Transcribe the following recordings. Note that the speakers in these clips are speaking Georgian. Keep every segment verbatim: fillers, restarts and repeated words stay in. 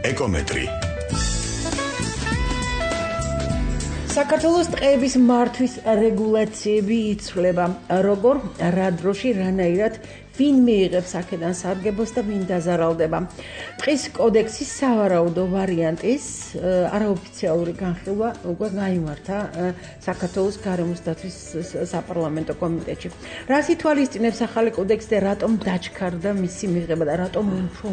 ეკომეტრი. საქართველოს ტყეების მართვის რეგულაციები იცვლება. როგორ, რა დროში, რანაირად ვინ მიიღებს აქედან სარგებელს და ვინ დაზარალდება. ტყის კოდექსის სავარაუდო ვარიანტის არაოფიციალური განხილვა უკვე გაიმართა საქართველოს გარემოს დაცვის საპარლამენტო კომიტეტში. რას ითვალისწინებს ახალი კოდექსი და რატომ დაჩქარდა მისი მიღება და რატომ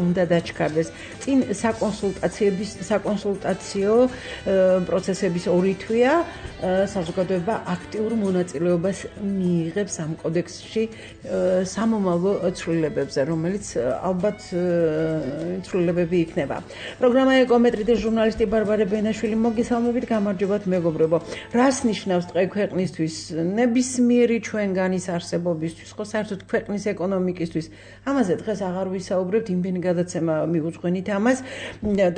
უნდა დაჩქარდეს? წინ საკონსულტაციების საკონსულტაციო პროცესების ორი თვეა საზოგადოება აქტიურ მონაწილეობას მიიღებს ამ კოდექსში სამომავლო ცვლილებებზე, რომელიც ალბათ ცვლილებები იქნება. პროგრამა ეკომეტრი და ჟურნალისტი ბარბარე ბენაშვილი მოგესალმებით, გამარჯობათ მეგობრებო. რას ნიშნავს ტყე ქვეყნისთვის, ნებისმიერი ჩვენგანის არსებობისთვის, ხო საერთოდ ქვეყნის ეკონომიკისთვის? ამაზე დღეს აღარ ვისაუბრებთ, იმდენი გადაცემა მივუძღვენით ამას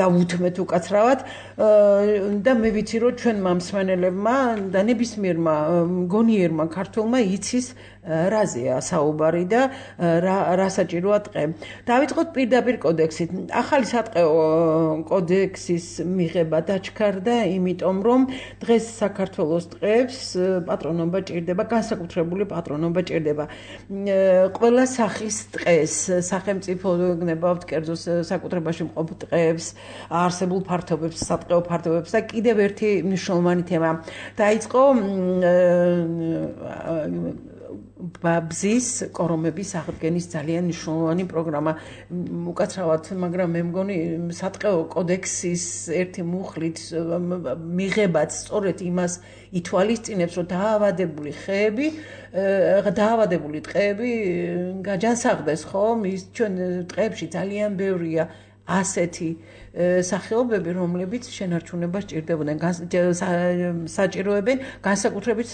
და უთმეთ უკაცრავად და მე ვიცი, რომ ჩვენმა მსმენელებმა და ნებისმიერმა მგონიერმა ქართველმა იცის რაზეა საუბარი და რა საჭიროა ტყე. დავიწყოთ პირდაპირ კოდექსით. ახალი სატყეო კოდექსის მიღება დაჩქარდა, იმიტომ რომ დღეს საქართველოს ტყეებს პატრონობა ჭირდება, განსაკუთრებული პატრონობა ჭირდება. ყველა სახის ტყეს, სახელმწიფო გნებავთ კერძო საკუთრებაში მყოფ ტყეებს, არსებულ ფართობებს, სატყეო ფართობებს და კიდევ ერთი მნიშვნელოვანი თემა. დაიწყო ბაბზის კორომების აღდგენის ძალიან მნიშვნელოვანი პროგრამა. უკაცრავად, მაგრამ მე მგონი სატყეო კოდექსის ერთი მუხლით მიღებაც სწორედ იმას ითვალისწინებს, რომ დაავადებული ხეები, დაავადებული ტყეები გაჯანსაღდეს, ხო? ის ჩვენ ტყეებში ძალიან ბევრია ასეთი სახეობები, რომლებიც შენარჩუნებას ჭირდებოდნენ, საჭიროებენ, განსაკუთრებით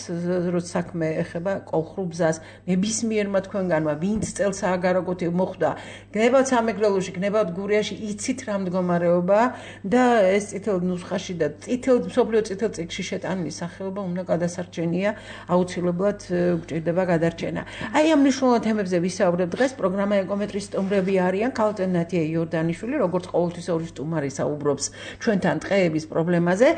როცა საქმე ეხება კოლხურ ბზას. ნებისმიერმა თქვენგანმა, ვინც წელს ააგაროგოთ მოხვდა, გნებავთ სამეგრელოში, გნებავთ გურიაში, იცით რა მდგომარეობაა და ეს წითელ ნუსხაში და წითელ მსოფლიო წითელ წიგნში შეტანილი სახეობა უნდა გადასარჩენია, აუცილებლად გვჭირდება გადარჩენა. აი ამ მნიშვნელოვან თემებზე ვისაუბრებ დღეს. პროგრამა ეკომეტრის სტუმრები არიან ქალწენ ნათია იორდანიშვილი, როგორც ყოველთვის ორი სტუმარი საუბრობს ჩვენთან ტყეების პრობლემაზე.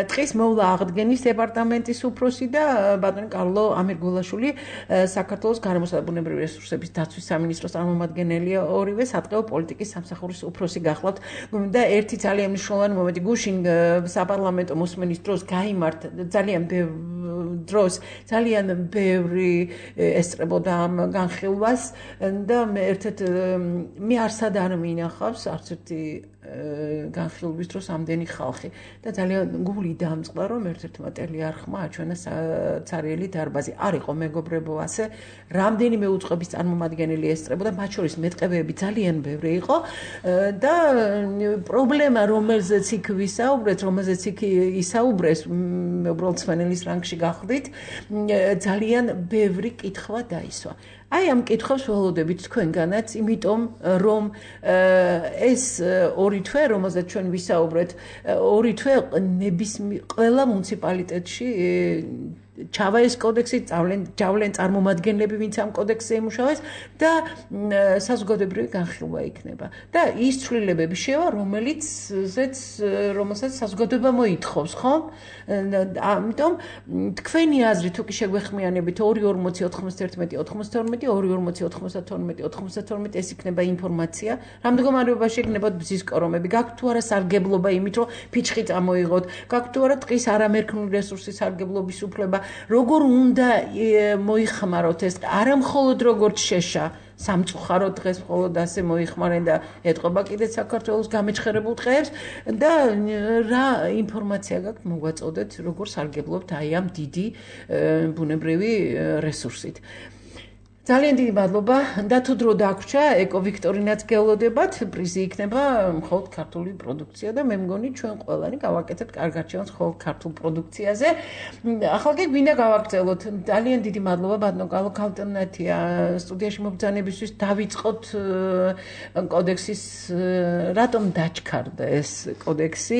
ტყის მოვლა აღდგენის დეპარტამენტის უფროსი და ბატონი კარლო ამირგულაშვილი, საქართველოს გარემოსა და ბუნებრივი რესურსების დაცვის სამინისტროს წარმომადგენელია, ორივე სატყეო პოლიტიკის სამსახურის უფროსი გახლავთ და ერთი ძალიან მნიშვნელოვანი მომენტი გუშინ საპარლამენტო მოსმენის დროს გაიმართა ძალიან ბევრ დროს ძალიან ბევრი ესწრებოდა ამ განხილვას და მე ერთ-ერთ მე არსად არ მინახავს არც ერთი განხილვის დროს ამდენი ხალხი და ძალიან გული დამწყდა, რომ ერთ-ერთმა ტელიარხმა აჩვენა ცარიელი დარბაზი. არ იყო მეგობრებო ასე, რამდენიმე უწყების წარმომადგენელი ესწრებოდა, მათ შორის მეტყევეები ძალიან ბევრი იყო და პრობლემა, რომელზეც იქ ვისაუბრეთ, რომელზეც იქ ისაუბრეს, უბრალოდ მსმენელის რანგში გახდით, ძალიან ბევრი კითხვა დაისვა. აი ამ კითხვებს ველოდებით თქვენგანაც, იმიტომ რომ ეს ორი თვე, რომელზეც ჩვენ ვისაუბრეთ, ორი თვე ნებისმიერ ყველა მუნიციპალიტეტში ჩავა ეს კოდექსი, ჯავლენ წარმომადგენლები, ვინც ამ კოდექსზე იმუშავეს და საზოგადოებრივი განხილვა იქნება. და ის ცვლილებები შევა, რომელიც რომელსაც საზოგადოება მოითხოვს, ხო? ამიტომ თქვენი აზრი თუ კი შეგვეხმიანებით ორი ორმოცი ოთხმოცდაერთმეტი ოთხმოცდაორმეტი ორი ორმოცი ოთხმოცდათორმეტი ოთხმოცდათორმეტი ეს იქნება ინფორმაცია. რა მდგომარეობაში იქნებათ ბზის კორომები? გაქვთ თუ არა სარგებლობა იმით, რომ ფიჩხი წამოიღოთ? გაქვთ თუ არა ტყის არამერქნული რესურსის სარგებლობის უფლება? როგორ უნდა მოიხმაროთ ეს? არა მხოლოდ როგორც შეშა სამწუხაროდ დღეს მხოლოდ ასე მოიხმარენ და ეტყობა კიდეც საქართველოს გამეჩხერებულ ტყეებს და რა ინფორმაცია გაქვთ მოგვაწოდეთ, როგორ სარგებლობთ აი ამ დიდი ბუნებრივი რესურსით. ძალიან დიდი მადლობა და თუ დრო დაგვრჩა, ეკო ვიქტორინაც გელოდებათ, პრიზი იქნება მხოლოდ ქართული პროდუქცია და მე მგონი ჩვენ ყველანი გავაკეთებთ კარგ არჩევანს მხოლოდ ქართულ პროდუქციაზე. ახლა კი გვინდა გავაგრძელოთ. ძალიან დიდი მადლობა ბატონო კარლო ქალტენათია სტუდიაში მობრძანებისთვის. დავიწყოთ კოდექსის რატომ დაჩქარდა ეს კოდექსი?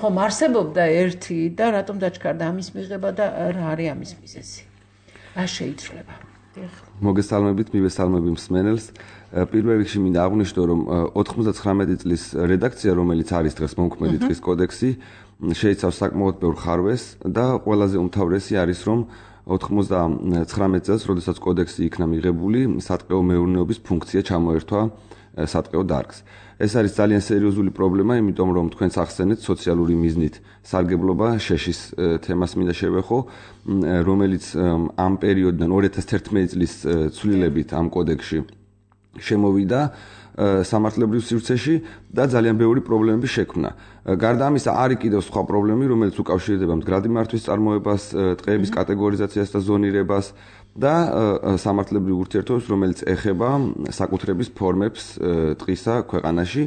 ხომ არსებობდა ერთი და რატომ დაჩქარდა ამის მიღება და რა არის ამის მიზეზი? რა შეიცვლება? მოგესალმებით, მივესალმები მსმენელს. პირველ რიგში მინდა აღვნიშნო, რომ ოთხმოცდათხრამეტი წლის რედაქცია, რომელიც არის დღეს მომქმედი დღის კოდექსი, შეიცავს საკმაოდ ბევრ ხარვეს და ყველაზე უმთავრესი არის, რომ ოთხმოცდათხრამეტ წელს, როდესაც კოდექსი იქნა მიღებული, სატყეო მეურნეობის ფუნქცია ჩამოერთვა სატყეო დარგს. ეს არის ძალიან სერიოზული პრობლემა, იმიტომ რომ თქვენს ახსენეთ სოციალური მიზნით სარგებლობა შეშის თემას მინდა შევეხო, რომელიც ამ პერიოდიდან ორი ათას თერთმეტი წლის ცვლილებით ამ კოდექსში შემოვიდა სამართლებრივ სივრცეში და ძალიან ბევრი პრობლემები შექმნა. გარდა ამისა, არის კიდევ სხვა პრობლემები, რომელიც უკავშირდება მდგრადი მართვის წარმოებას, ტყეების კატეგორიზაციას და ზონირებას და სამართლებრივ ურთიერთობებს, რომელიც ეხება საკუთრების ფორმებს ტყისა ქვეყანაში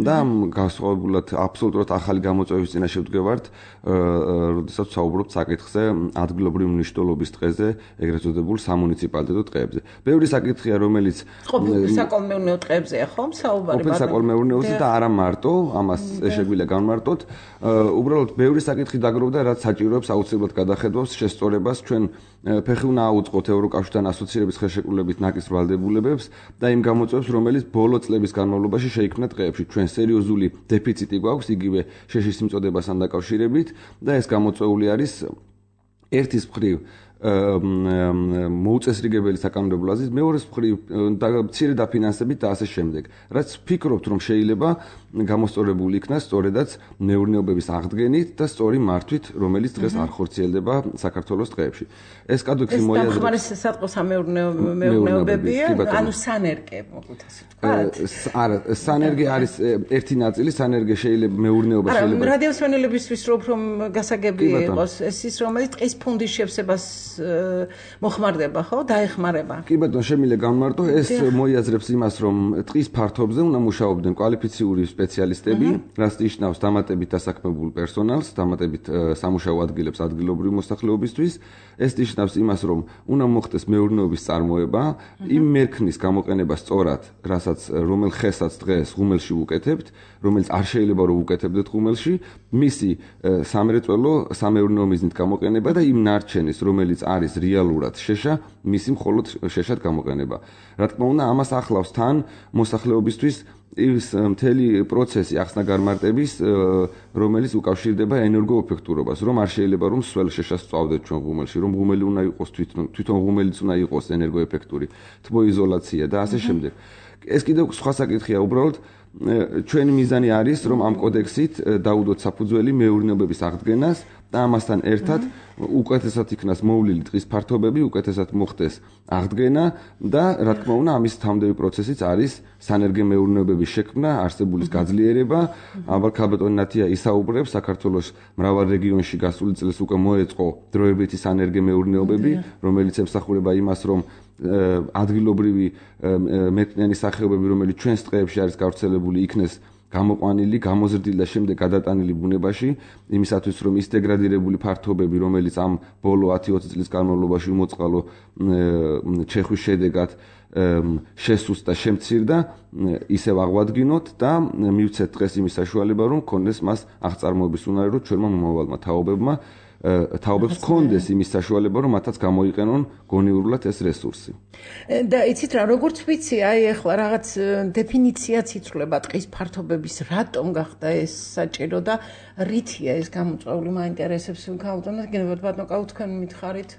და განსხვავებულად აბსოლუტურად ახალი გამოწვევის წინაშე ვდგევართ, როდესაც ვსაუბრობთ საკითხზე ადგილობრივი მნიშვნელობის ტყეზე, ეგრეთ წოდებულ სამუნიციპალიტეტო ტყეებზე. ბევრი საკითხია, რომელიც ყოფილ საკოლმეურნეო ტყეებზეა ხომ საუბარი? ყოფილ საკოლმეურნეოზე და არა მარტო, ამას შეგვიძლია განმარტოთ. უბრალოდ ბევრი საკითხი დაგროვდა, რაც საჭიროებს აუცილებლად გადახედვას, შესწორებას. ჩვენ ფეხი უნდა აუწყოთ ევროკავშირთან ასოცირების ხელშეკრულებით ნაკის ვალდებულებებს და იმ გამოწვევებს, რომელიც ბოლო წლების განმავლობაში შეიქმნა ტყეებში. ჩვენ სერიოზული დეფიციტი გვაქვს იგივე შეშის მიწოდებასთან დაკავშირებით და ეს გამოწვეული არის ერთის მხრივ მოუწესრიგებელი საკანონმდებლო აზრით, მეორეს მხრივ მცირე დაფინანსებით და ასე შემდეგ. რაც ვფიქრობთ, რომ შეიძლება გამოსწორებული იქნას სწორედაც მეურნეობების აღდგენით და სწორი მართვით, რომელიც დღეს არ ხორციელდება საქართველოს ტყეებში. ეს კოდექსი მოიაზრებს. ეს დამხმარე სატყეო სამეურნეობებია, ანუ სანერგე, მოკლედ ასე ვთქვათ. არა, სანერგე არის ერთი ნაწილი, სანერგე შეიძლება მეურნეობა შეიძლება. არა, რადიოსვენელებისთვის რო უფრო გასაგები იყოს, ეს ის რომელიც ტყის ფუნდის შევსებას მოხმარდება, ხო? დაეხმარება. კი ბატონო, შემიძლია განმარტო, ეს მოიაზრებს იმას, რომ ტყის ფართობზე უნდა მუშაობდნენ კვალიფიციური სპეციალისტები, რაც ნიშნავს დამატებით დასაქმებულ პერსონალს, დამატებით სამუშაო ადგილებს ადგილობრივი მოსახლეობისთვის. ეს ნიშნავს იმას, რომ უნდა მოხდეს მეურნეობის წარმოება, იმ მერქნის გამოყენება სწორად, რასაც რომელ ხესაც დღეს ღუმელში ვუკეთებთ, რომელიც არ შეიძლება რომ ვუკეთებდეთ ღუმელში, მისი სამრეწველო სამეურნეო მიზნით გამოყენება და იმ ნარჩენის, რომელიც არის რეალურად შეშა, მისი მხოლოდ შეშად გამოყენება. რა თქმა უნდა, ამას ახლავს თან მოსახლეობისთვის ის მთელი პროცესი ახსნა-განმარტების, რომელიც უკავშირდება ენერგოეფექტურობას, რომ არ შეიძლება რომ სულ შეშას ვწავდეთ ჩვენ ღუმელში, რომ ღუმელი უნდა იყოს თვითონ, თვითონ ღუმელიც უნდა იყოს ენერგოეფექტური, თბოიზოლაცია და ასე შემდეგ. ეს კიდევ სხვა საკითხია, უბრალოდ ჩვენი მიზანი არის, რომ ამ კოდექსით დაუდოთ საფუძველი მეურნეობების აღდგენას და ამასთან ერთად უკეთესად იქნას მოვლილი ტყის ფართობები, უკეთესად მოხდეს აღდგენა და რა თქმა უნდა, ამის თავმდევი პროცესიც არის სანერგე მეურნეობების შექმნა, არსებულის გაძლიერება. ალბათ ქალბატონი ნათია ისაუბრებს, საქართველოს მრავალ რეგიონში გასული წელს უკვე მოეწყო დროებითი სანერგე მეურნეობები, რომელიც ემსახურება იმას, რომ ადგილობრივი მეტყნიანი სახეობები, რომელიც ჩვენს ტყეებში არის გავრცელებული, იქნეს გამოყვანილი, გამოზრდილი და შემდეგ გადატანილი ბუნებაში, იმისათვის რომ ის დეგრადირებული ფართობები, რომელიც ამ ბოლო ათი ოცი წლის განმავლობაში უმოწყალო ჩეხვის შედეგად შესუსტა და შემცირდა, ისევ აღვადგინოთ და მივცეთ დღეს იმის საშუალება, რომ კონდეს მას აღწარმოების უნარი, რომ ჩვენმა მომავალმა თაობებმა თაობებს კონდეს იმის საშუალება, რომ მათაც გამოიყენონ გონიურულად ეს რესურსი. და იცით რა, როგორც ვიცი, აი ახლა რაღაც დეფინიციაც იცვლება ტყის ფართობების, რატომ გახდა ეს საჭირო და რითია ეს გამოწვეული, მაინტერესებს ქალბატონო, გენებად ბატონო, კაუ თქვენ მითხარით,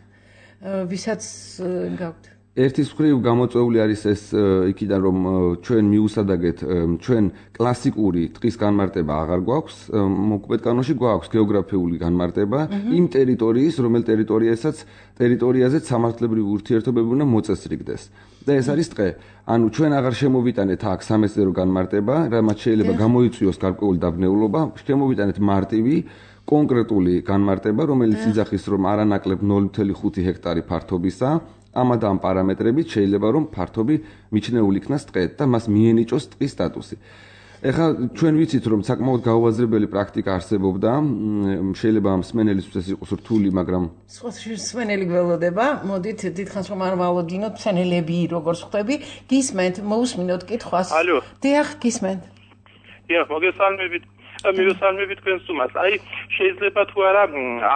ვისაც გაქვთ. ერთის მხრივ გამოწვეული არის ეს იქიდან, რომ ჩვენ მიუსადაგეთ, ჩვენ კლასიკური ტყის განმარტება აღარ გვაქვს, მოქმედ კანონში გვაქვს გეოგრაფიული განმარტება იმ ტერიტორიის, რომელ ტერიტორიასაც ტერიტორიაზეც სამართლებრივი ურთიერთობები უნდა მოწესრიგდეს. და ეს არის ტყე. ანუ ჩვენ აღარ შემოვიტანეთ აქ სამეცნიერო განმარტება, რამაც შეიძლება გამოიწვიოს გარკვეული დაბნეულობა, შემოვიტანეთ მარტივი კონკრეტული განმარტება, რომელიც იძახის, რომ არანაკლებ ნული კომა ხუთი ჰექტარი ფართობისა ამა და ამ პარამეტრებით შეიძლება რომ ფართობი მიჩნეული იქნას ტყედ და მას მიენიჭოს ტყის სტატუსი. ეხლა ჩვენ ვიცით რომ საკმაოდ გაუაზრებელი პრაქტიკა არსებობდა, შეიძლება მსმენელისთვის ეს იყოს რთული, მაგრამ სხვა მსმენელი გველოდება, მოდით დიდხანს რომ არ ვალოდინოთ მსმენელები როგორც ხვდები, გისმენთ, მოусმინოთ კითხვას. ალო. დიახ, გისმენთ. დიახ, მოგესალმებით. მივესალმები თქვენ სტუმარს. აი შეიძლება თუ არა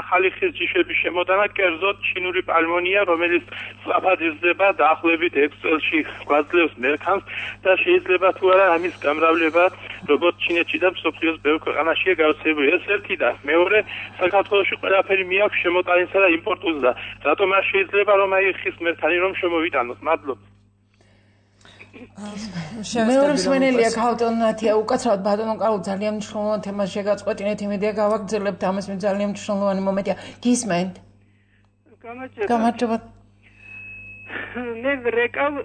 ახალი ხის ჯიშების შემოტანა კერძოდ ჩინური პალმონია, რომელიც სწრაფად იზრდება დაახლოებით ექვს წელში გვაძლევს მერქანს და შეიძლება თუ არა ამის გამრავლება როგორც ჩინეთში და მსოფლიოს ბევრ ქვეყანაშია გავრცელებული. ეს ერთი და მეორე საქართველოში ყველაფერი მიაქვს შემოტანისა და იმპორტულს და რატომ არ შეიძლება რომ აი ხის მერქანი რომ შემოვიტანოთ? მადლობა. მეორე მსმენელია ქალტონათია უკაცრავად ბატონო კარლო ძალიან მნიშვნელოვანი თემას შეგაწყვეტინეთ იმედია გავაგრძელებთ ამას მე ძალიან მნიშვნელოვანი მომენტია გისმენთ გამარჯობა მე რეკავ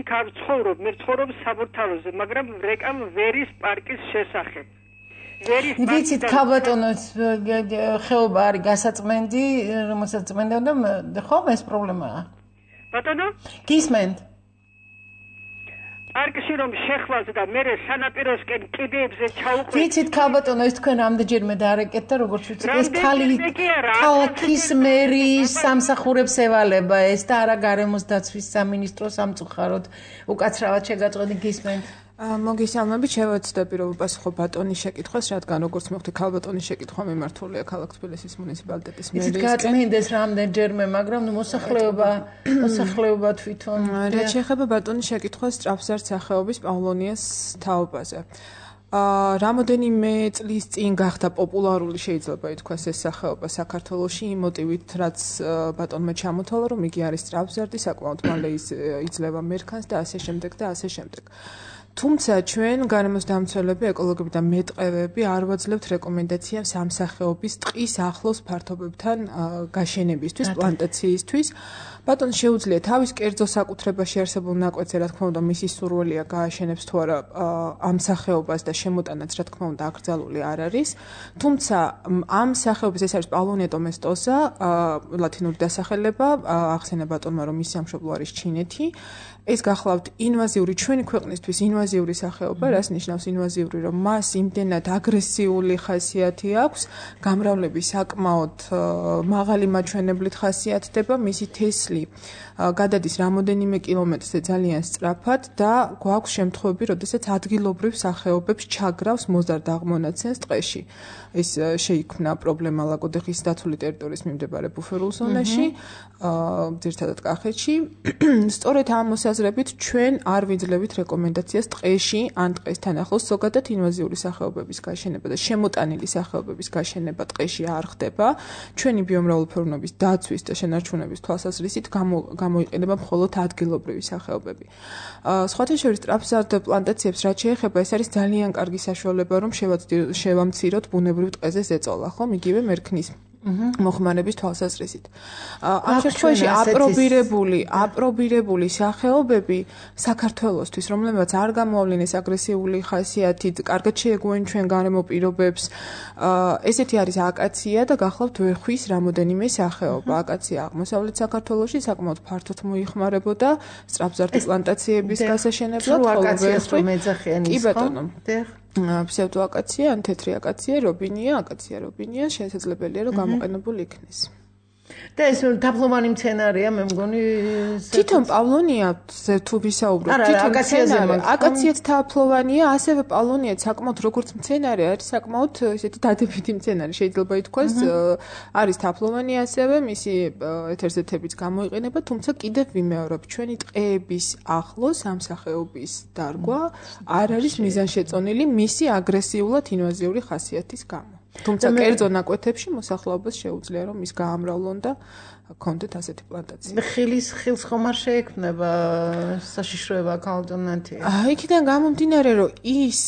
იქ არ ცხოვრობ მე ცხოვრობ საბურთალოზე მაგრამ რეკავ ვერის პარკის შესახებ ვერის პარკი ვიცით ქალბატონო ხეობა არის გასაწმენდი რომელსაც წმენდა და ხო ეს პრობლემაა ბატონო გისმენთ არკში რომ შეხვალს და მე სანაპიროსკენ კიდეებზე ჩაუყვე. ვიცით ქალბატონო ეს თქვენ ამდენჯერმე დაარეკეთ და როგორც ვიცით ეს ქალი ქალაქის მერის სამსახურებს ევალება ეს და არა გარემოს დაცვის სამინისტროს სამწუხაროდ უკაცრავად შეგაწყვეტი გისმენთ. მოგესალმებით, შევეცდები რომ უპასუხო ბატონის შეკითხვას, რადგან როგორც მოხდი ქალბატონის შეკითხვა მიმართულია ქალაქ თბილისის მუნიციპალიტეტის მერიის. იცით გაწმინდეს რამდენჯერმე, მაგრამ მოსახლეობა მოსახლეობა თვითონ რაც შეეხება ბატონის შეკითხვას სწრაფზარდ სახეობის პავლონიას თაობაზე. აა რამოდენიმე წლის წინ გახდა პოპულარული შეიძლება ითქვას ეს სახეობა საქართველოში იმ მოტივით რაც ბატონმა ჩამოთვალა რომ იგი არის სწრაფზარდი საკმაოდ მალე იძლევა მერქანს და ასე შემდეგ და ასე შემდეგ. თუმცა ჩვენ გარემოს დამცველები, ეკოლოგები და მეტყევები არ ვაძლევთ რეკომენდაციას ამ სახეობის ტყის ახლოს ფართობებთან გაშენებისთვის, პლანტაციისთვის. ბატონს შეუძლია თავის კერძო საკუთრებაში არსებულ ნაკვეთზე, რა თქმა უნდა, მისი სურვილია გააშენებს თუ არა ამ სახეობას და შემოტანაც, რა თქმა უნდა, აკრძალული არ არის. თუმცა ამ სახეობის ეს არის პავლონია domestos-a, ლათინური დასახელება, ახსენა ბატონმა, რომ მისი სამშობლო არის ჩინეთი. ეს გახლავთ ინვაზიური ჩვენი ქვეყნისთვის ინვაზიური სახეობა, რას ნიშნავს ინვაზიური, რომ მას იმდენად აგრესიული ხასიათი აქვს, გამრავლების საკმაოდ მაღალი მაჩვენებლით ხასიათდება, მისი თესლი გადადის რამოდენიმე კილომეტრზე ძალიან სწრაფად და გვაქვს შემთხვევები, როდესაც ადგილობრივ სახეობებს ჩაგრავს მოზარდ აღმონაცენს ტყეში. ეს შეიქმნა პრობლემა ლაგოდეხის დაცული ტერიტორიის მიმდებარე ბუფერულ ზონაში, ძირითადად კახეთში. სწორედ ამ მოსაზრებით ჩვენ არ ვიძლევით რეკომენდაციას ტყეში ან ტყესთან ახლოს ზოგადად ინვაზიური სახეობების გაშენება და შემოტანილი სახეობების გაშენება ტყეში არ ხდება. ჩვენი ბიომრავალფეროვნების დაცვის და შენარჩუნების თვალსაზრისით გამოიყენება მხოლოდ ადგილობრივი სახეობები. სხვათა შორის სწრაფზარდ პლანტაციებს რაც შეეხება, ეს არის ძალიან კარგი საშუალება, რომ შევამციროთ ბუნებრივ ტყეზე ზეწოლა, ხომ, იგივე მერქნის მოხმარების თვალსაზრისით. ამ შემთხვევაში აპრობირებული, აპრობირებული სახეობები საქართველოსთვის, რომლებიც არ გამოავლინეს აგრესიული ხასიათით, კარგად შეეგუენ ჩვენ გარემო პირობებს, ესეთი არის აკაცია და გახლავთ ვერხვის რამოდენიმე სახეობა. აკაცია აღმოსავლეთ საქართველოში საკმაოდ ფართოდ მოიხმარებოდა სწრაფზარდი პლანტაციების გასაშენებლად, ხოლო ვერხვი მეძახიანის, კი ბატონო. ხო? ფსევდოაკაცია, ან თეთრი აკაცია, რობინია, აკაცია რობინია, შესაძლებელია რომ გამოყენებული იქნეს. და ეს დაპლომანი მცენარეა, მე მგონი თვითონ პავლონიაზე თუ ვისაუბრობ, თვითონ აკაციაც თაფლოვანია, ასევე პავლონია საკმაოდ როგორც მცენარე არის საკმაოდ ესეთი დადებითი მცენარე, შეიძლება ითქვას, არის თაფლოვანი ასევე, მისი ეთერზეთებიც გამოიყენება, თუმცა კიდევ ვიმეორებ, ჩვენი ტყეების ახლოს ამ სახეობის დარგვა არ არის მიზანშეწონილი მისი აგრესიულად ინვაზიური ხასიათის გამო. თუმცა კერძო ნაკვეთებში მოსახლეობას შეუძლია რომ ის გაამრავლონ და კონდეთ ასეთი პლანტაცია. ხილის ხილს ხომ არ შეექმნება საშიშროება ქალტონათი. იქიდან გამომდინარე რომ ის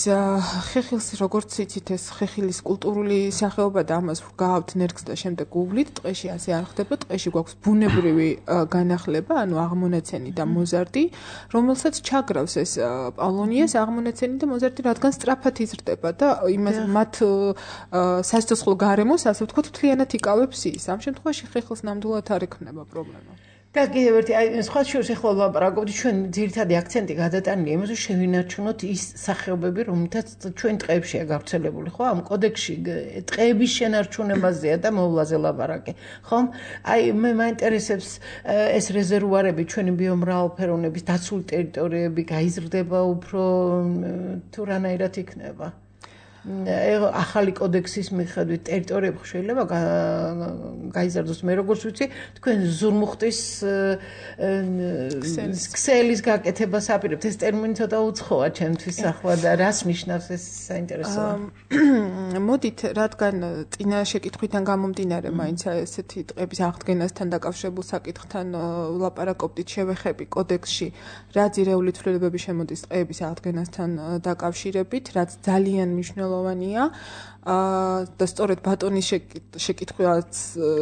ხეხილს როგორც იცით ეს ხეხილის კულტურული სახეობა და ამას ვგავთ ნერგს და შემდეგ უვლით ტყეში ასე არ ხდება, ტყეში გვაქვს ბუნებრივი განახლება, ანუ აღმონაცენი და მოზარდი, რომელსაც ჩაგრავს ეს პავლონიას აღმონაცენი და მოზარდი, რადგან სწრაფად იზრდება და იმას მათ სასიცოცხლო გარემოს ასე ვთქვათ მთლიანად იკავებს ის. ამ შემთხვევაში ხეხილს ნამდვილად არ ექნება პრობლემა. და კიდევ ერთი აი სხვა შორის ახლა ვლაპარაკობთ ჩვენ ძირითადი აქცენტი გადატანილია იმაზე შევინარჩუნოთ ის სახეობები რომელთაც ჩვენ ტყეებშია გავრცელებული ხო ამ კოდექსში ტყეების შენარჩუნებაზეა და მოვლაზე ლაპარაკი ხომ აი მე მაინტერესებს ეს რეზერვუარები ჩვენი ბიომრავალფეროვნების დაცული ტერიტორიები გაიზრდება უფრო თუ რანაირად იქნება ახალი კოდექსის მიხედვით ტერიტორიები შეიძლება გაიზარდოს. მე როგორც ვიცი, თქვენ ზურმუხტის ქსელის გაკეთებას აპირებთ. ეს ტერმინი ცოტა უცხოა ჩემთვის ახლა და რას ნიშნავს ეს საინტერესოა. მოდით, რადგან წინა შეკითხვიდან გამომდინარე, მაინც ესეთი ტყეების აღდგენასთან დაკავშირებულ საკითხთან ვლაპარაკობდით, შევეხები კოდექსში რა ძირეული ცვლილებები შემოდის ტყეების აღდგენასთან დაკავშირებით, რაც ძალიან მნიშვნელოვანია. და სწორედ ბატონის შეკითხვაც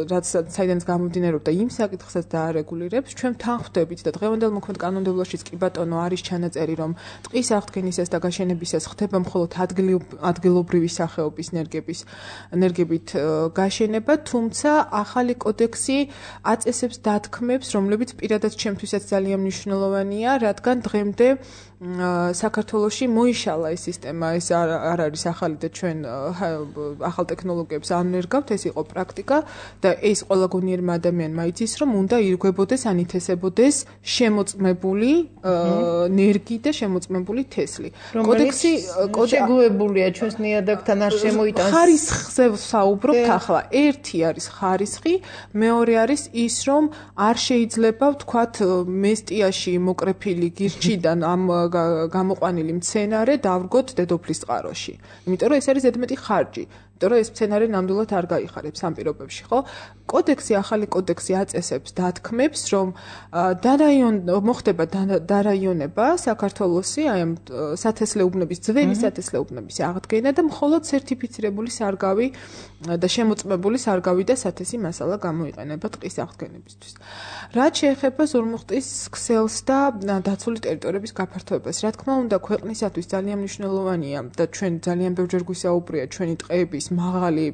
რაც საიდანაც გამომდინარეობდა იმ საკითხსაც დაარეგულირებს, ჩვენ თანხმდებით და დღევანდელ მოქმედ კანონმდებლობაშიც კი ბატონო არის ჩანაწერი, რომ ტყის აღდგენისას და გაშენებისას ხდება მხოლოდ ადგილობრივი სახეობის ნერგების ნერგებით გაშენება, თუმცა ახალი კოდექსი აწესებს დათქმებს, რომლებიც პირადად ჩემთვისაც ძალიან მნიშვნელოვანია, რადგან დღემდე საქართველოში მოიშალა ეს სისტემა, ეს არ არის ახალი და ჩვენ ახალ ტექნოლოგიებს ანერგავთ, ეს იყო პრაქტიკა და ეს ყველა გონიერმა ადამიანმა იცის, რომ უნდა ირგვებოდეს, ანითესებოდეს შემოწმებული ნერგი და შემოწმებული თესლი. კოდექსი შეგუებულია ჩვენს ნიადაგთან არ შემოიტანს. ხარისხზე ვსაუბრობთ ახლა. ერთი არის ხარისხი, მეორე არის ის, რომ არ შეიძლება ვთქვათ მესტიაში მოკრეფილი გირჩიდან ამ გამოყვანილი მცენარე დავრგოთ დედოფლის წყაროში. იმიტომ რომ ეს არის ზედმეტი ხარჯი. იმიტომ რომ ეს მცენარე ნამდვილად არ გაიხარებს ამ პირობებში, ხო? კოდექსი, ახალი კოდექსი აწესებს დათქმებს, რომ დარაიონ მოხდება დარაიონება საქართველოსი, აი ამ სათესლეუბნების, ძველი სათესლეუბნების აღდგენა და მხოლოდ სერტიფიცირებული სარგავი და შემოწმებული სარგავი და სათესი მასალა გამოიყენება ტყის აღდგენებისთვის. რაც შეეხება ზურმუხტის ქსელს და დაცული ტერიტორიების გაფართოებას, რა თქმა უნდა, ქვეყნისათვის ძალიან მნიშვნელოვანია და ჩვენ ძალიან ბევრჯერ გვისაუბრია ჩვენი ტყეების მაღალი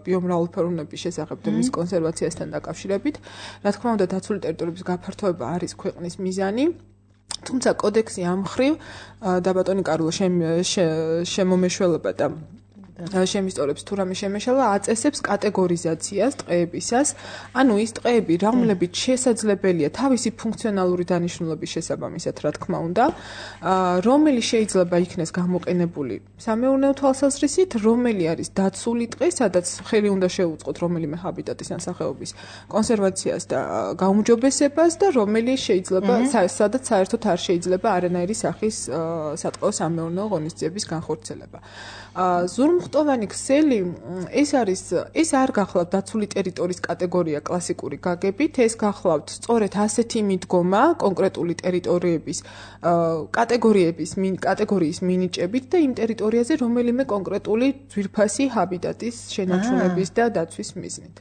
ბიომრავალფეროვნების შესახებ და მის კონსერვაციასთან დაკავშირებით. რა თქმა უნდა, დაცული ტერიტორიების გაფართოება არის ქვეყნის მიზანი. თუმცა კოდექსი ამ მხრივ და ბატონი კარლო შემომეშველება და შემისწორებს თუ რამე შემეშალა, აწესებს კატეგორიზაციას ტყეებისას, ანუ ის ტყეები, რომლებიც შესაძლებელია თავისი ფუნქციონალური დანიშნულების შესაბამისად, რა თქმა უნდა, რომელი შეიძლება იქნეს გამოყენებული სამეურნეო თვალსაზრისით, რომელი არის დაცული ტყე, სადაც ხელი უნდა შეუწყოთ რომელიმე ჰაბიტატის ან სახეობის კონსერვაციას და გაუმჯობესებას და რომელი შეიძლება სადაც საერთოდ არ შეიძლება არანაირი სახის სატყეო სამეურნეო ღონისძიების განხორციელება. ზურმუხტოვანი ქსელი ეს არის ეს არ გახლავთ დაცული ტერიტორიის კატეგორია კლასიკური გაგებით, ეს გახლავთ სწორედ ასეთი მიდგომა კონკრეტული ტერიტორიების კატეგორიების კატეგორიის მინიჭებით და იმ ტერიტორიაზე რომელიმე კონკრეტული ძვირფასი ჰაბიტატის შენარჩუნების და დაცვის მიზნით.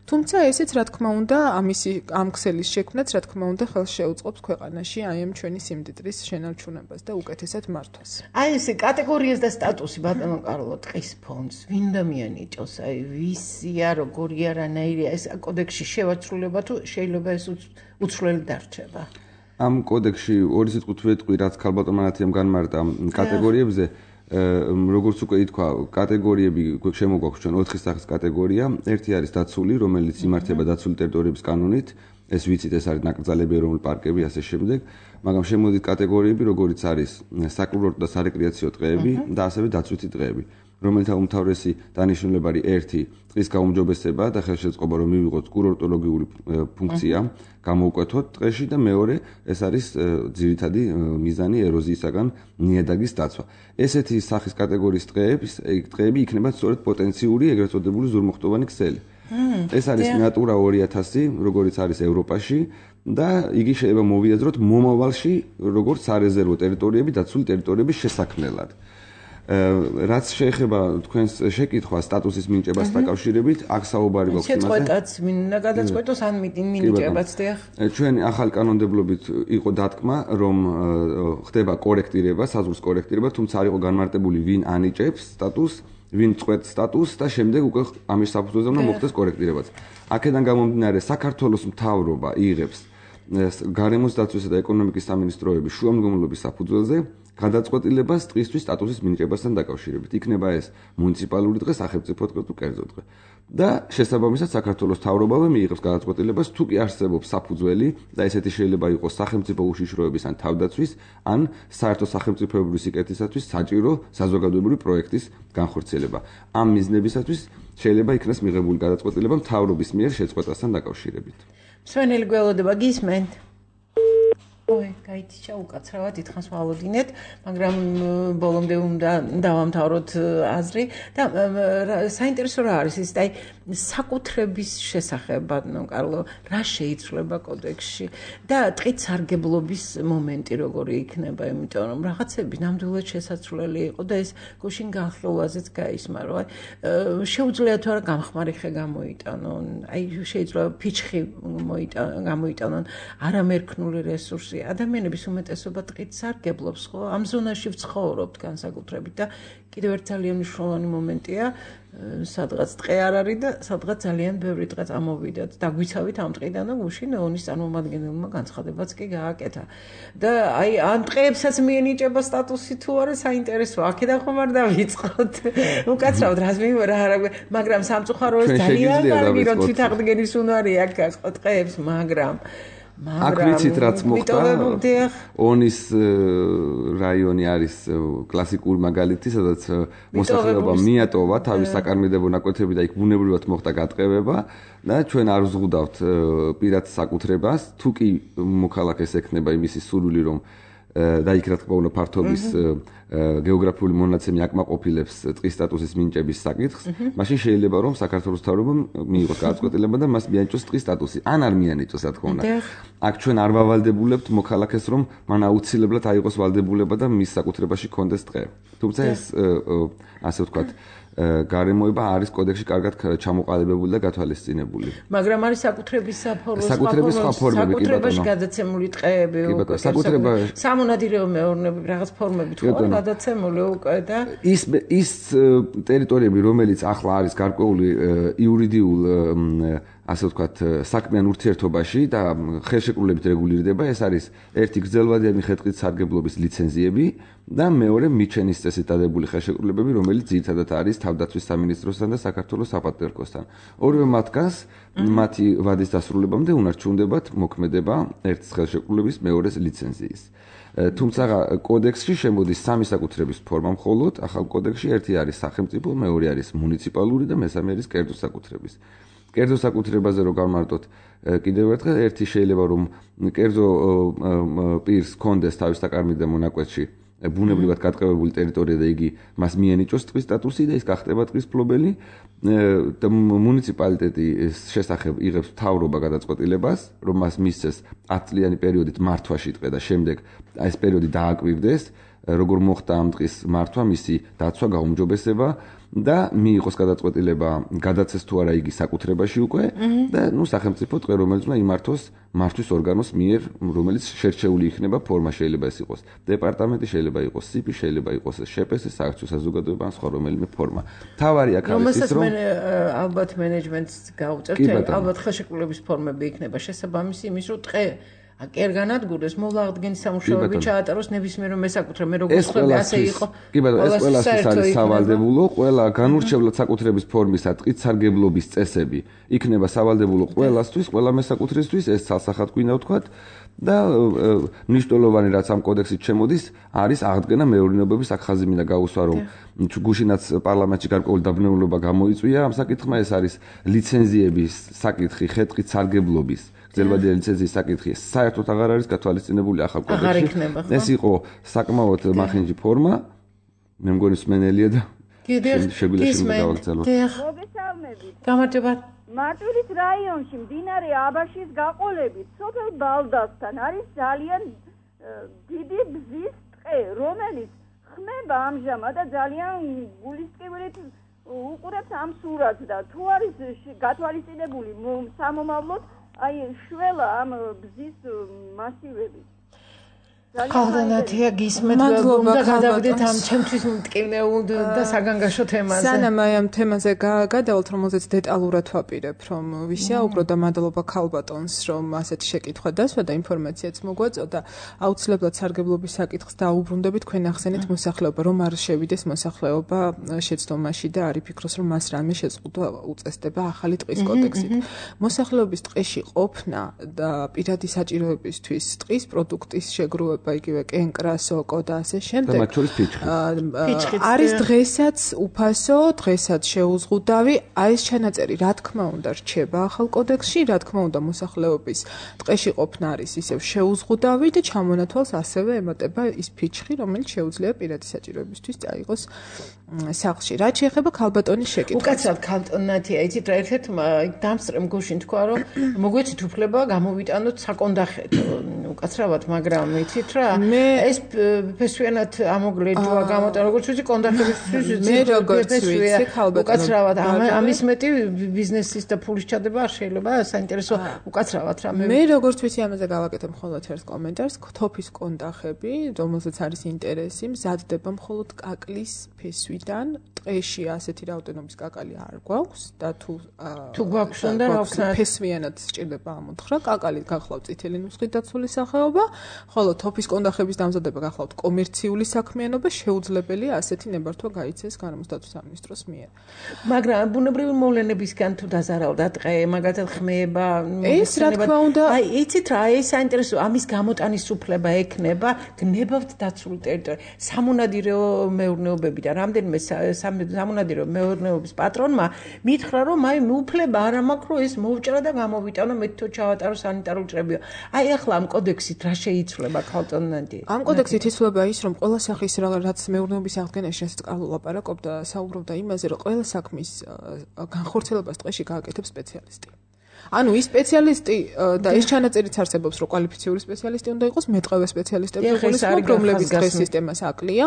თუმცა ესეც რა თქმა უნდა ამისი ამ ქსელის შექმნაც რა თქმა უნდა ხელს შეუწყობს ქვეყანაში აი ამ ჩვენი სიმდიდრის შენარჩუნებას და უკეთესად მართვას. აი ეს კატეგორიას და სტატუსი ბატონო კარლო ტყის ფონდს ვინ დამიანიჭოს, აი ვისია, როგორია, რანაირია ეს კოდექსში შევაცვლება თუ შეიძლება ეს უცვლელი დარჩება? ამ კოდექსში ორი სიტყვით ვეტყვი, რაც ქალბატონ მანათიამ განმარტა კატეგორიებზე, როგორც უკვე ითქვა, კატეგორიები შემოგვაქვს ჩვენ ოთხი სახის კატეგორია. ერთი არის დაცული, რომელიც იმართება დაცული ტერიტორიების კანონით, ეს ვიცით, ეს არის ნაკრძალები, ეროვნული პარკები, ასე შემდეგ, მაგრამ შემოდით კატეგორიები, როგორიც არის საკურორტო და სარეკრეაციო ტყეები და ასევე დაცვითი ტყეები, რომელთა უმთავრესი დანიშნულება არის ერთი ტყის გაუმჯობესება და ხელშეწყობა, რომ მივიღოთ კურორტოლოგიური ფუნქცია, გამოუკვეთოთ ტყეში და მეორე ეს არის ძირითადი მიზანი ეროზიისაგან ნიადაგის დაცვა. ესეთი სახის კატეგორიის ტყეების ტყეები იქნება სწორედ პოტენციური ეგრეთ წოდებული ზურმუხტოვანი ქსელი. ეს არის ნატურა ორი ათასი, როგორც არის ევროპაში და იგი შეიძლება მოვიაზროთ მომავალში როგორც სარეზერვო ტერიტორიები დაცული ტერიტორიების შესაქმნელად. რაც შეეხება თქვენს შეკითხვას სტატუსის მინიჭებას დაკავშირებით, აქ საუბარი გვაქვს იმაზე. შეწყვეტაც მინდა გადაწყვეტოს ან მინიჭებაც დიახ. ჩვენ ახალ კანონმდებლობით იყო დათქმა, რომ ხდება კორექტირება, საზღვრის კორექტირება, თუმცა არ იყო განმარტებული ვინ ანიჭებს სტატუსს, ვინ წყვეტს სტატუსს და შემდეგ უკვე ამის საფუძველზე უნდა მოხდეს კორექტირებაც. აქედან გამომდინარე საქართველოს მთავრობა იღებს გარემოს დაცვისა და ეკონომიკის სამინისტროების შუამდგომლობის საფუძველზე გადაწყვეტილებას ტყისთვის სტატუსის მინიჭებასთან დაკავშირებით. იქნება ეს მუნიციპალური დღე, სახელმწიფო დღე თუ კერძო დღე. და შესაბამისად საქართველოს მთავრობავე მიიღებს გადაწყვეტილებას თუ კი არსებობს საფუძველი და ესეთი შეიძლება იყოს სახელმწიფო უშიშროების ან თავდაცვის ან საერთო სახელმწიფოებრივი სიკეთისათვის საჭირო საზოგადოებრივი პროექტის განხორციელება. ამ მიზნებისათვის შეიძლება იქნას მიღებული გადაწყვეტილება მთავრობის მიერ შეწყვეტასთან დაკავშირებით. მსმენელი გველოდება გისმენთ? ой, გაითიშა უკაცრავად ითხოვს ვალოდინეთ, მაგრამ ბოლომდე უნდა დავამთავროთ აზრი და საინტერესო რა არის ის, აი საკუთრების შესახებ, ბატონო კარლო, რა შეიცვლება კოდექსში და ტყით სარგებლობის მომენტი როგორი იქნება, იმიტომ რომ რაღაცები ნამდვილად შესაძლებელი იყო და ეს გუშინ განხილვაზეც გაისმარო, აი შეუძლია თუ არა გამხმარი ხე გამოიტანონ, აი შეიძლება ფიჩხი გამოიტანონ, არამერქნული რესურსი ადამიანების უმეტესობა ტყით სარგებლობს, ხო? ამ ზონაში ვცხოვრობთ განსაკუთრებით და კიდევ ერთ ძალიან მნიშვნელოვანი მომენტია, სადღაც ტყე არ არის და სადღაც ძალიან ბევრი ტყე წამოვიდათ. დაგვიცავით ამ ტყიდან და გუშინ ოვნის წარმომადგენელმა განცხადებაც კი გააკეთა. და აი ამ ტყეებსაც მიენიჭება სტატუსი თუ არა საინტერესოა. აქედან ხომ არ დავიწყოთ. უკაცრავად რას მივერა არა, მაგრამ სამწუხაროა ძალიან კარგი რომ თვითაღდგენის უნარი აქ გასყო ტყეებს, მაგრამ აქ ვიცით რაც მოხდა ონის რაიონი არის კლასიკური მაგალითი, სადაც მოსახლეობა მიატოვა თავის საკარმიდებო ნაკვეთები და იქ ბუნებრივად მოხდა გატყევება და ჩვენ არ ვზღუდავთ პირად საკუთრებას, თუ კი მოქალაქეს ექნება იმისი სურვილი რომ და იქ რა თქმა უნდა ფართობის გეოგრაფიული მონაცემი აკმაყოფილებს ტყის სტატუსის მინიჭების საკითხს, მაშინ შეიძლება რომ საქართველოს მთავრობამ მიიღოს გადაწყვეტილება და მას მიანიჭოს ტყის სტატუსი. ან არ მიანიჭოს, რა თქმა უნდა. აქ ჩვენ არ ვავალდებულებთ მოქალაქეს რომ მან აუცილებლად აიღოს ვალდებულება და მის საკუთრებაში კონდეს ტყე. თუმცა ეს ასე ვთქვათ გარემოება არის კოდექსში კარგად ჩამოყალიბებული და გათვალისწინებული. მაგრამ არის საკუთრების საფორმო საკუთრების სხვა ფორმები კი ბატონო. საკუთრებაში გადაცემული ტყეები უკვე. საკუთრება სამონადირეო მეურნეობები რაღაც ფორმებით ხო გადაცემული უკვე და ის ის ტერიტორიები რომელიც ახლა არის გარკვეული იურიდიულ ასე ვთქვათ საქმიან ურთიერთობაში და ხელშეკრულებით რეგულირდება, ეს არის ერთი გრძელვადიანი ხე-ტყით სარგებლობის ლიცენზიები და მეორე მიჩენის წესით დადებული ხელშეკრულებები, რომელიც ძირითადად არის თავდაცვის სამინისტროსთან და საქართველოს საპატრიარქოსთან. ორივე მათგანს მათი ვადის დასრულებამდე უნარჩუნდებათ მოქმედება ერთის ხელშეკრულების მეორეს ლიცენზიის. თუმცა კოდექსში შემოდის სამი საკუთრების ფორმა მხოლოდ, ახალ კოდექსში ერთი არის სახელმწიფო, მეორე არის მუნიციპალური და მესამე არის კერძო საკუთრების. კერძო საკუთრებაზე რო გავმარტოთ კიდევ ერთხელ ერთი შეიძლება რომ კერძო პირს კონდეს თავის საკარმიდო მონაკვეთში ბუნებრივად გატყევებული ტერიტორია და იგი მას მიენიჭოს ტყის სტატუსი და ის გახდება ტყის მფლობელი და მუნიციპალიტეტი შესახებ იღებს მთავრობა გადაწყვეტილებას რომ მას მისცეს ათწლიანი პერიოდით მართვაში ტყე და შემდეგ ეს პერიოდი დააკვირდეს როგორ მოხდა ამ ტყის მართვა მისი დაცვა გაუმჯობესება და მიიღოს გადაწყვეტილება გადაცეს თუ არა იგი საკუთრებაში უკვე და ნუ სახელმწიფო ტყე რომელიც უნდა იმართოს მართვის ორგანოს მიერ რომელიც შერჩეული იქნება ფორმა შეიძლება ეს იყოს დეპარტამენტი შეიძლება იყოს სიპი შეიძლება იყოს შპს საერთო საზოგადოება ან სხვა რომელიმე ფორმა თავარი აქ არის ის რომ ალბათ მენეჯმენტს გაუწევთ ალბათ ხელშეკრულების ფორმები იქნება შესაბამისი იმის რომ ტყე კი არ განადგურდეს მოვლა აღდგენის სამუშაოები ჩაატაროს ნებისმიერ მესაკუთრე მე როგორ ხვდები ასე იყო კი ბატონო ეს ყველასთვის არის სავალდებულო ყველა განურჩევლად საკუთრების ფორმისა ტყით სარგებლობის წესები იქნება სავალდებულო ყველასთვის ყველა მესაკუთრისთვის ეს ცალსახად გვინდა ვთქვათ და მნიშვნელოვანი რაც ამ კოდექსით შემოდის არის აღდგენა მეურნეობების აქხაზი მინდა გაუსვა რომ გუშინაც პარლამენტში გარკვეული დაბნეულობა გამოიწვია ამ საკითხმა ეს არის ლიცენზიების საკითხი ხე-ტყით სარგებლობის ძელვადიანი ლიცენზიის საკითხი საერთოდ აღარ არის გათვალისწინებული ახალ კოდექსში. ეს იყო საკმაოდ მახინჯი ფორმა. მე მგონი სმენელია და შეგვიძლია შემდეგ გავაგრძელოთ. მოგესალმებით. გამარჯობა. მარტვილის რაიონში მდინარე აბაშის გაყოლებით სოფელ ბალდასთან არის ძალიან დიდი ბზის ტყე, რომელიც ხმება ამჟამად და ძალიან გულისწყრით უყურებს ამ სურათს და თუ არის გათვალისწინებული სამომავლოდ აი შველა ამ ბზის მასივები. ხალხანათია გისმენთ და გადავიდეთ ამ ჩემთვის მტკივნეულ და საგანგაშო თემაზე. სანამ აი ამ თემაზე გადავალთ, რომელზეც დეტალურად ვაპირებ, რომ ვისია უფრო და მადლობა ქალბატონს, რომ ასეთი შეკითხვა დასვა და ინფორმაციაც მოგვაწოდა. აუცილებლად სარგებლობის საკითხს დაუბრუნდებით, თქვენ ახსენეთ მოსახლეობა, რომ არ შევიდეს მოსახლეობა შეცდომაში და არ იფიქროს, რომ მას რამე შეზღუდვა უწესდება ახალი ტყის კოდექსით. მოსახლეობის ტყეში ყოფნა და პირადი საჭიროებისთვის ტყის პროდუქტის შეგროვება იგივე კენკრა, სოკო და ასე შემდეგ. არის დღესაც უფასო, დღესაც შეუზღუდავი. აი ეს ჩანაწერი, რა თქმა უნდა, რჩება ახალ კოდექსში, რა თქმა უნდა, მოსახლეობის ტყეში ყოფნა არის ისევ შეუზღუდავი და ჩამონათვალს ასევე ემატება ის ფიჩხი, რომელიც შეუძლია პირადი საჭიროებისთვის წაიღოს სახლში. რაც შეეხება ქალბატონის შეკითხვას. უკაცრავად ქალბატონათია, იცით რა ერთ-ერთ დამსწრემ გუშინ თქვა, რომ მოგვეცით უფლება გამოვიტანოთ საკონდახეთ. უკაცრავად, მაგრამ იცით რა, ეს ფესვიანად ამოგლეჯვა გამოტანა, როგორც ვიცი, კონდახებისთვის მე როგორც ვიცი, ქალბატონო. უკაცრავად, ამის მეტი ბიზნესის და ფულის ჩადება არ შეიძლება, საინტერესო უკაცრავად რა მე მე როგორც ვიცი, ამაზე გავაკეთებ მხოლოდ ერთ კომენტარს, თოფის კონდახები, რომელზეც არის ინტერესი, მზადდება მხოლოდ კაკლის ფესვიდან, ტყეში ასეთი რაოდენობის კაკალი არ გვაქვს და თუ თუ გვაქვს უნდა რა ვქნა ფესვიანად სჭირდება ამოთხრა, კაკალი გახლავთ წითელი ნუსხით დაცული სახეობა, ხოლო თოფის კონდახების დამზადება გახლავთ კომერციული საქმიანობა, შეუძლებელია ასეთი ნებართვა გაიცეს გარემოსდაცვის სამინისტროს მიერ. მაგრამ ბუნებრივი მოვლენებისგან თუ დაზარავდა ტყე, მაგალითად ხმეება, ეს რა თქმა უნდა, აი იცით რა, ეს საინტერესო, ამის გამოტანის უფლება ექნება, გნებავთ დაცულ ტერიტორიაზე. სამონადირო მეურნეობები და რამდენიმე სამონადირო მეურნეობის პატრონმა მითხრა, რომ აი უფლება არ მაქვს, რომ ეს მოვჭრა და გამოვიტანო, მე თვითონ ჩავატარო სანიტარულ ჭრებიო. აი ახლა ამ კოდექსით რა შეიცვლება ქალბატონანდი? ამ კოდექსით იცვლება ის, რომ ყველა სახის რაც მეურნეობის აღდგენაში რასაც კარლო ლაპარაკობდა, საუბრობდა იმაზე, რომ ყველა საქმის განხორციელებას ტყეში გააკეთებს სპეციალისტი. ანუ ის სპეციალისტი და ეს ჩანაწერიც არსებობს, რომ კვალიფიციური სპეციალისტი უნდა იყოს, მეტყევე სპეციალისტები გულისხმობ, რომლებიც დღეს სისტემას აკლია.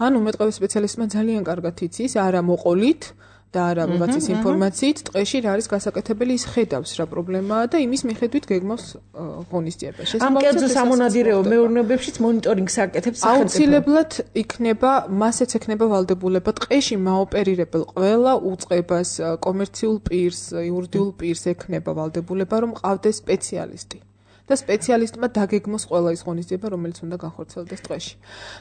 ანუ მეტყევე სპეციალისტმა ძალიან კარგად იცის, არა მოყოლით და არა ვიღაცის ინფორმაციით, ტყეში რა არის გასაკეთებელი, ის ხედავს რა პრობლემაა და იმის მიხედვით გეგმავს ღონისძიებას. ამ კერძო სამონადირეო მეურნეობებშიც მონიტორინგს აკეთებს სახელმწიფო. აუცილებლად იქნება, მასეც ექნება ვალდებულება ტყეში მაოპერირებელ ყველა უწყებას, კომერციულ პირს, იურიდიულ პირს ექნება ვალდებულება, რომ ყავდეს სპეციალისტი. და სპეციალისტმა დაგეგმოს ყველა ის ღონისძიება, რომელიც უნდა განხორციელდეს ტყეში.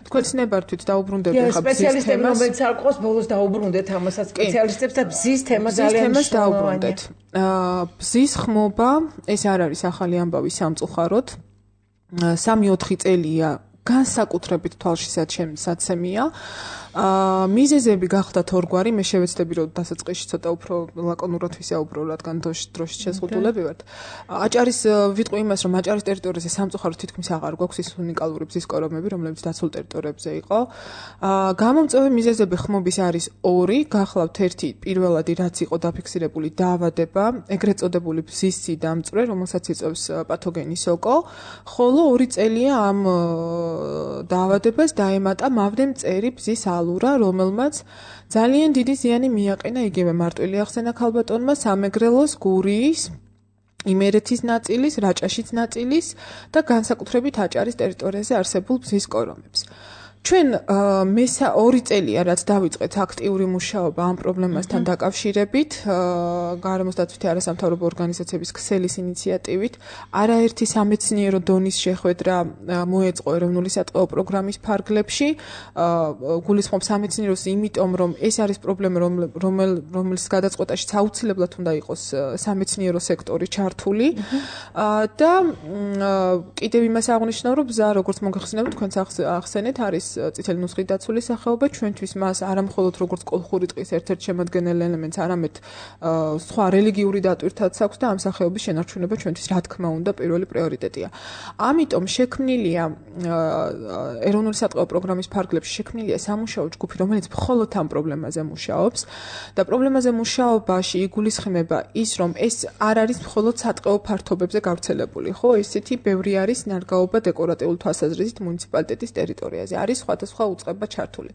თქვენ ცნებართვით დაუბრუნდებით ხა ბზის თემას, რომელიც არ ყავს, ბოლოს დაუბრუნდეთ ამასაც სპეციალისტებს და ბზის თემა ძალიან დაუბრუნდეთ. აა ბზის ხმობა, ეს არ არის ახალი ამბავი სამწუხაროდ. სამი ოთხი წელია განსაკუთრებით თვალშისაცემია. აა მიზეზები გახდათ ორგვარი, მე შევეცდები რომ დასაწყისში ცოტა უფრო ლაკონურად ვისაუბრო, რადგან დროშის შეზღუდულები ვართ. აჭარის ვიტყვი იმას, რომ აჭარის ტერიტორიაზე სამწუხაროდ თითქმის აღარ გვაქვს ის უნიკალური ბზის კორომები, რომლებიც დაცულ ტერიტორიებზე იყო. აა გამომწვევი მიზეზები ხმობის არის ორი, გახლავთ ერთი პირველადი, რაც იყო დაფიქსირებული დაავადება, ეგრეთ წოდებული ბზის სიდამწვე, რომელსაც იწვევს პათოგენი სოკო, ხოლო ორი წელია ამ დაავადებას დაემატა მავდემწერი ბზის ალურა, რომელმაც ძალიან დიდი ზიანი მიაყენა იგივე მარტვილი ახსენა ქალბატონმა სამეგრელოს, გურიის, იმერეთის ნაწილის, რაჭაშის ნაწილის და განსაკუთრებით აჭარის ტერიტორიაზე არსებულ ბზის კორომებს. ჩვენ მესა ორი წელია რაც დავიწყეთ აქტიური მუშაობა ამ პრობლემასთან დაკავშირებით, გარემოსდაცვითი არასამთავრობო ორგანიზაციების ქსელის ინიციატივით, არაერთი სამეცნიერო დონის შეხვედრა მოეწყო ეროვნული სატყეო პროგრამის ფარგლებში, გულისხმობ სამეცნიეროს, იმიტომ რომ ეს არის პრობლემა, რომელის გადაწყვეტაშიც აუცილებლად უნდა იყოს სამეცნიერო სექტორი ჩართული და კიდევ იმას აღნიშნავ, რომ ბზა, როგორც მოგეხსენებათ, თქვენც ახსენეთ, არის წითელი ნუსხით დაცული სახეობა, ჩვენთვის მას არა მხოლოდ როგორც კოლხური ტყის ერთ-ერთ შემადგენელ ელემენტს, არამედ სხვა რელიგიური დატვირთაც აქვს და ამ სახეობის შენარჩუნება ჩვენთვის რა თქმა უნდა პირველი პრიორიტეტია. ამიტომ შექმნილია ეროვნული სატყეო პროგრამის ფარგლებში შექმნილია სამუშაო ჯგუფი, რომელიც მხოლოდ ამ პრობლემაზე მუშაობს და პრობლემაზე მუშაობაში იგულისხმება ის, რომ ეს არ არის მხოლოდ სატყეო ფართობებზე გავრცელებული, ხო, ესეთი ბევრი არის ნარგაობა დეკორატიულ თვალსაზრისით მუნიციპალიტეტის ტერიტორიაზე. არის სხვადასხვა უწყება ჩართული.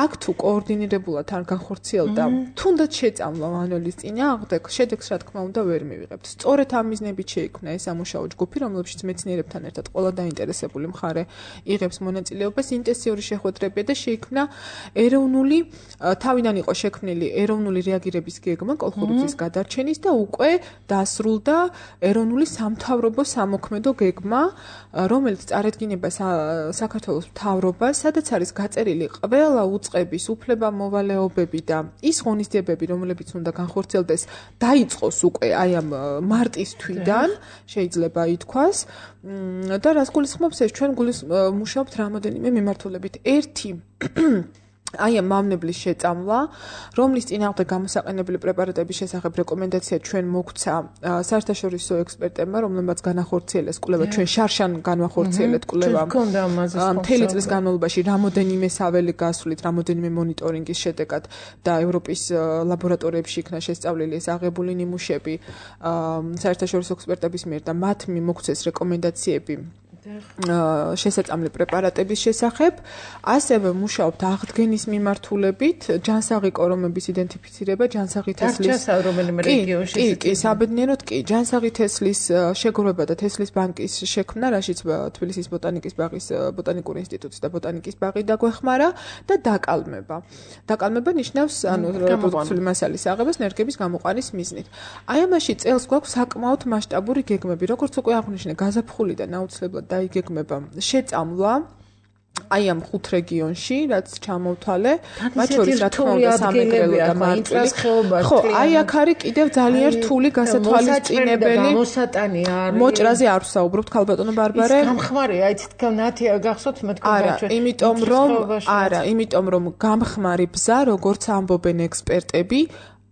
აქ თუ კოორდინირებულად არ განხორციელდა, თუნდაც შეწამლა მანუელის წინააღმდეგ, შედეგს რა თქმა უნდა ვერ მივიღებთ. სწორედ ამ მიზნებით შეიქმნა ეს სამუშაო ჯგუფი, რომლებშიც მეცნიერებთან ერთად ყველა დაინტერესებული მხარე იღებს მონაწილეობას, ინტენსიური შეხვედრებია და შეიქმნა ეროვნული თავიდან იყო შექმნილი ეროვნული რეაგირების გეგმა კოლხურუცის გადარჩენის და უკვე დასრულდა ეროვნული სამთავრობო სამოქმედო გეგმა, რომელიც წარედგინება საქართველოს მთავრობას, სადაც არის გაწერილი ყველა უწყების უფლება-მოვალეობები და ის ღონისძიებები, რომლებიც უნდა განხორციელდეს, დაიწყოს უკვე აი ამ მარტის თვიდან, შეიძლება ითქვას. და რას გულისხმობს ეს ჩვენ მუშაობთ რამოდენიმე მიმართულებით. ერთი აი ამ მავნებლის შეწამლა, რომლის წინააღმდეგ გამოსაყენებელი პრეპარატების შესახებ რეკომენდაცია ჩვენ მოგვცა საერთაშორისო ექსპერტებმა, რომლებმაც განახორციელეს კვლევა, ჩვენ შარშან განვახორციელეთ კვლევა. მთელი წლის განმავლობაში რამოდენიმე საველე გასვლით, რამოდენიმე მონიტორინგის შედეგად და ევროპის ლაბორატორიებში იქნა შესწავლილი ეს აღებული ნიმუშები საერთაშორისო ექსპერტების მიერ და მათ მოგცეს რეკომენდაციები შესაწამლი პრეპარატების შესახებ, ასევე მუშაობთ აღდგენის მიმართულებით, ჯანსაღი კორომების იდენტიფიცირება, ჯანსაღი თესლის რეგიონში. კი, კი, საბედნიეროდ კი, ჯანსაღი თესლის შეგროვება და თესლის ბანკის შექმნა, რაშიც თბილისის ბოტანიკის ბაღის ბოტანიკური ინსტიტუტის და ბოტანიკის ბაღი დაგვეხმარა და დაკალმება. დაკალმება ნიშნავს, ანუ რეპროდუქციული მასალის აღებას ნერგების გამოყვანის მიზნით. აი ამაში წელს გვაქვს საკმაოდ მასშტაბური გეგმები, როგორც უკვე აღვნიშნე, გაზაფხულიდან აუცილებლად დაიგეგმება შეწამლა აი ამ ხუთ რეგიონში, რაც ჩამოვთვალე, მათ შორის რა თქმა უნდა სამეგრელო და მარტვილის ხეობაში. ხო, აი აქ არის კიდევ ძალიან რთული გასათვალისწინებელი მოსატანი არის. მოჭრაზე არ ვსაუბრობთ, ქალბატონო ბარბარე. ის გამხმარია, აი თითქოს ნათია გახსოვთ მე თქვენ არა, იმიტომ რომ არა, იმიტომ რომ გამხმარი ბზა, როგორც ამბობენ ექსპერტები,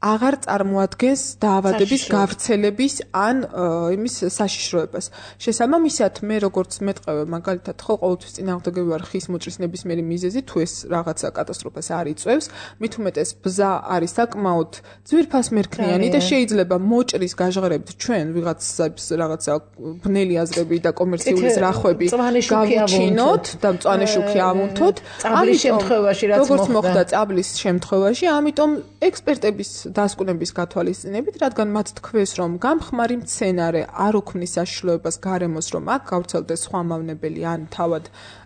აღარ წარმოადგენს დაავადების გავრცელების ან იმის საშიშროებას. შესაბამისად, მე როგორც მეტყევე მაგალითად ხო ყოველთვის წინააღმდეგები ვარ ხის მოჭრის ნებისმიერი მიზეზი, თუ ეს რაღაცა კატასტროფას არ იწვევს, მით უმეტეს ბზა არის საკმაოდ ძვირფასმერქნიანი და შეიძლება მოჭრის გაჟღერებით ჩვენ ვიღაცას რაღაცა ბნელი აზრები და კომერციული ზრახვები გავუჩინოთ და მწვანე შუქი ავუნთოთ. წაბლის შემთხვევაში რაც როგორც მოხდა წაბლის შემთხვევაში, ამიტომ ექსპერტების დასკვნების გათვალისწინებით, რადგან მათ თქვეს, რომ გამხმარი მცენარე არ უქმნის საშიშროებას გარემოს, რომ აქ გავრცელდეს სხვა მავნებელი ან თავად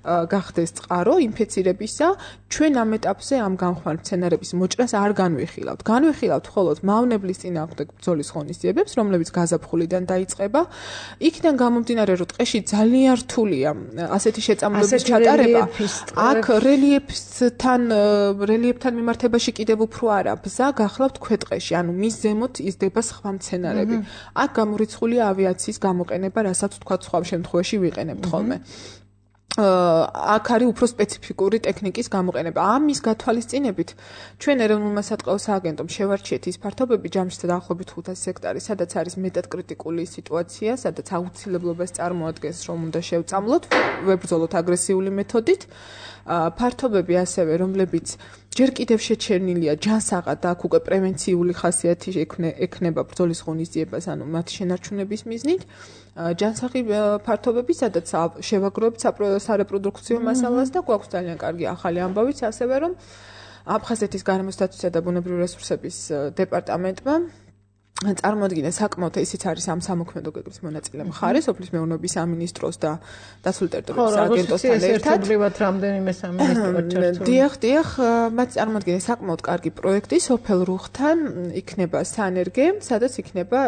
გახდეს წყარო ინფეცირებისა, ჩვენ ამ ეტაპზე ამ გამხმარ მცენარების მოჭრას არ განვიხილავთ. განვიხილავთ მხოლოდ მავნებლის წინააღმდეგ ბრძოლის ღონისძიებებს, რომლებიც გაზაფხულიდან დაიწყება. იქიდან გამომდინარე, რომ ტყეში ძალიან რთულია ასეთი შეწამლების ჩატარება. აქ რელიეფთან რელიეფთან მიმართებაში კიდევ უფრო არა, ბზა გახლავთ ქვეტყეში, ანუ მის ზემოთ იზრდება სხვა მცენარები. აქ გამორიცხულია ავიაციის გამოყენება, რასაც თქვა სხვა შემთხვევაში ვიყენებთ ხოლმე. აქ არის უფრო სპეციფიკური ტექნიკის გამოყენება. ამის გათვალისწინებით ჩვენ ეროვნულმა სატყეო სააგენტომ შევარჩიეთ ის ფართობები ჯამში დაახლოებით ხუთასი ჰექტარი, სადაც არის მეტად კრიტიკული სიტუაცია, სადაც აუცილებლობას წარმოადგენს, რომ უნდა შევწამლოთ, ვებრძოლოთ აგრესიული მეთოდით. ფართობები ასევე, რომლებიც ჯერ კიდევ შეჩერნილია ჯანსაღად და აქ უკვე პრევენციული ხასიათი ექნება ბრძოლის ღონისძიებას, ანუ მათი შენარჩუნების მიზნით. ჯანსაღი ფართობები, სადაც შევაგროვებთ სარეპროდუქციო მასალას და გვაქვს ძალიან კარგი ახალი ამბავიც, ასევე რომ აფხაზეთის გარემოსდაცვისა და ბუნებრივი რესურსების დეპარტამენტმა წარმოადგინა საკმაოდ ისიც არის ამ სამოქმედო გეგმის მონაწილე მხარე, სოფლის მეურნეობის სამინისტროს და დაცული ტერიტორიების სააგენტოსთან ერთად. ერთობლივად რამდენიმე სამინისტროა ჩართული. დიახ, დიახ, მათ წარმოადგენენ საკმაოდ კარგი პროექტი სოფელ რუხთან იქნება სანერგე, სადაც იქნება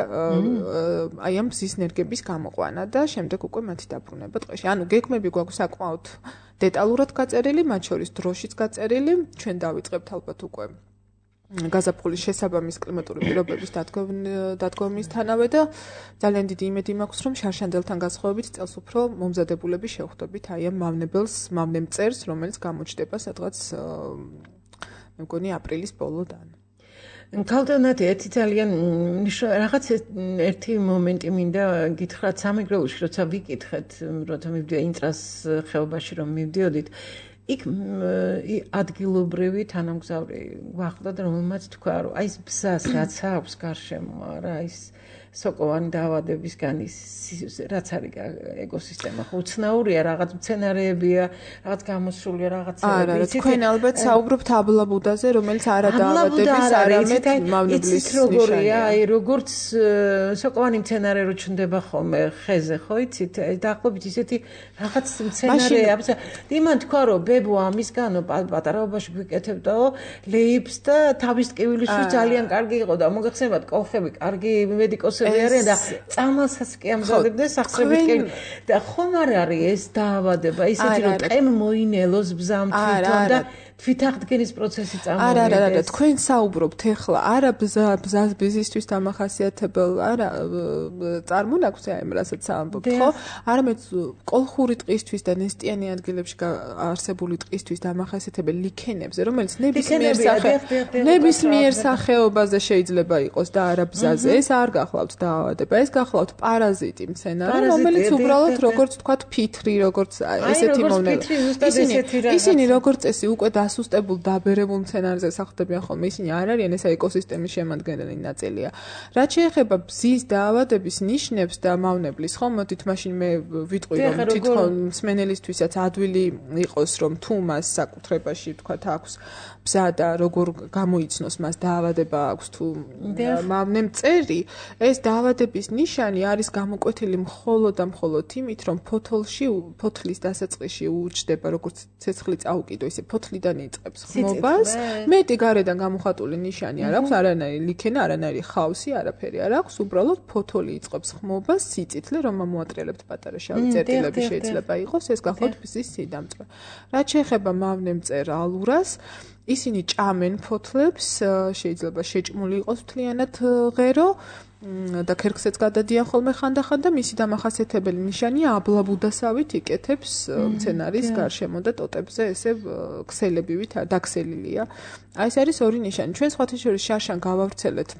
აი ამ მზის ნერგების გამოყვანა და შემდეგ უკვე მათი დაბრუნება ტყეში. ანუ გეგმები გვაქვს საკმაოდ დეტალურად გაწერილი, მათ შორის დროშიც გაწერილი, ჩვენ დავიწყებთ ალბათ უკვე გაზაფხულის შესაბამის კლიმატური პირობების დადგომისთანავე და ძალიან დიდი იმედი მაქვს, რომ შარშანდელთან გასხოვებით წელს უფრო მომზადებულები შევხვდებით აი ამ მავნებელს, მავნემწერს, რომელიც გამოჩნდება სადღაც მე მგონი აპრილის ბოლოდან. ქალბატონო, ერთი ძალიან რაღაც ერთი მომენტი მინდა გითხრათ სამეგრელოში, როცა ვიკითხეთ, როცა მივდიოდა ინტრას ხეობაში რომ მივდიოდით, იქ ადგილობრივი თანამგზავრი გვახდა და რომელმაც თქვა, რომ აი ეს ბზას რაც აქვს გარშემო, არა, ის სოკოვანი დაავადებისგან ის რაც არის ეკოსისტემა უცნაურია რაღაც მცენარეებია რაღაც გამოსულია რაღაცები იცით თქვენ ალბათ საუბრობთ აბლაბუდაზე რომელიც არა დაავადების არამედ მავნებლის როგორია აი როგორც სოკოვანი მცენარე რო ჩნდება ხოლმე ხეზე ხო იცით დაახლოებით ისეთი რაღაც მცენარეა იმან თქვა რომ ბებო ამისგანო პატარაობაში გვიკეთებდაო ლეიფს და თავის ტკივილისთვის ძალიან კარგი იყო და მოგეხსენებათ კოლხები კარგი მედიკოსები არიან და წამალსაც კი ამზადებდნენ სახსრებით და ხომ არ არის ეს დაავადება ისეთი რომ ტყემ მოინელოს ბზამ თვითონ და თვითაღდგენის პროცესი წამოვიდეს. არა, არა, არა, თქვენ საუბრობთ ახლა არა ბზას ბიზნესთვის დამახასიათებელ, არა წარმონაქვს აი რასაც ამბობთ, ხო? არამედ კოლხური ტყისთვის და ნესტიანი ადგილებში არსებული ტყისთვის დამახასიათებელ ლიქენებზე, რომელიც ნებისმიერ ნებისმიერ სახეობაზე შეიძლება იყოს და არა ბზაზე. ეს არ გახლავთ დაავადება, ეს გახლავთ პარაზიტი მცენარე, რომელიც უბრალოდ როგორც თქვათ ფიტრი, როგორც ესეთი მომნელო. ისინი ისინი როგორც წესი უკვე ასუსტებულ დაბერებულ მცენარეზე სახლდებიან ხოლმე ისინი არ არიან ეს ეკოსისტემის შემადგენელი ნაწილია. რაც შეეხება ბზის დაავადების ნიშნებს და მავნებლის, ხო, მოდით მაშინ მე ვიტყვი რომ თვითონ მსმენელისთვისაც ადვილი იყოს რომ თუ მას საკუთრებაში თქვათ აქვს ბზა და როგორ გამოიცნოს მას დაავადება აქვს თუ მავნე მწერი, ეს დაავადების ნიშანი არის გამოკვეთილი მხოლოდ და მხოლოდ იმით რომ ფოთოლში ფოთლის დასაწყისში უჩდება როგორც ცეცხლი წაუკიდო ისე ფოთლიდან იწყებს ხმობას. მეტი გარედან გამოხატული ნიშანი არ აქვს, არანაირი ლიქენა, არანაირი ხავსი, არაფერი არ აქვს, უბრალოდ ფოთოლი იწყებს ხმობას, სიწითლე, რომ ამოატრიალებთ პატარა შავი წერტილები შეიძლება იყოს, ეს გახლავთ ბზის სიდამწვე. რაც შეეხება მავნე მწერ ალურას, ისინი ჭამენ ფოთლებს, შეიძლება შეჭმული იყოს მთლიანად ღერო და ქერქსაც გადადიან ხოლმე ხანდახან და მისი დამახასიათებელი ნიშანია აბლაბუდასავით იკეთებს მცენარის გარშემო და ტოტებზე ესე ქსელებივით დაქსელილია. აი ეს არის ორი ნიშანი. ჩვენ სხვათა შორის შარშან გავავრცელეთ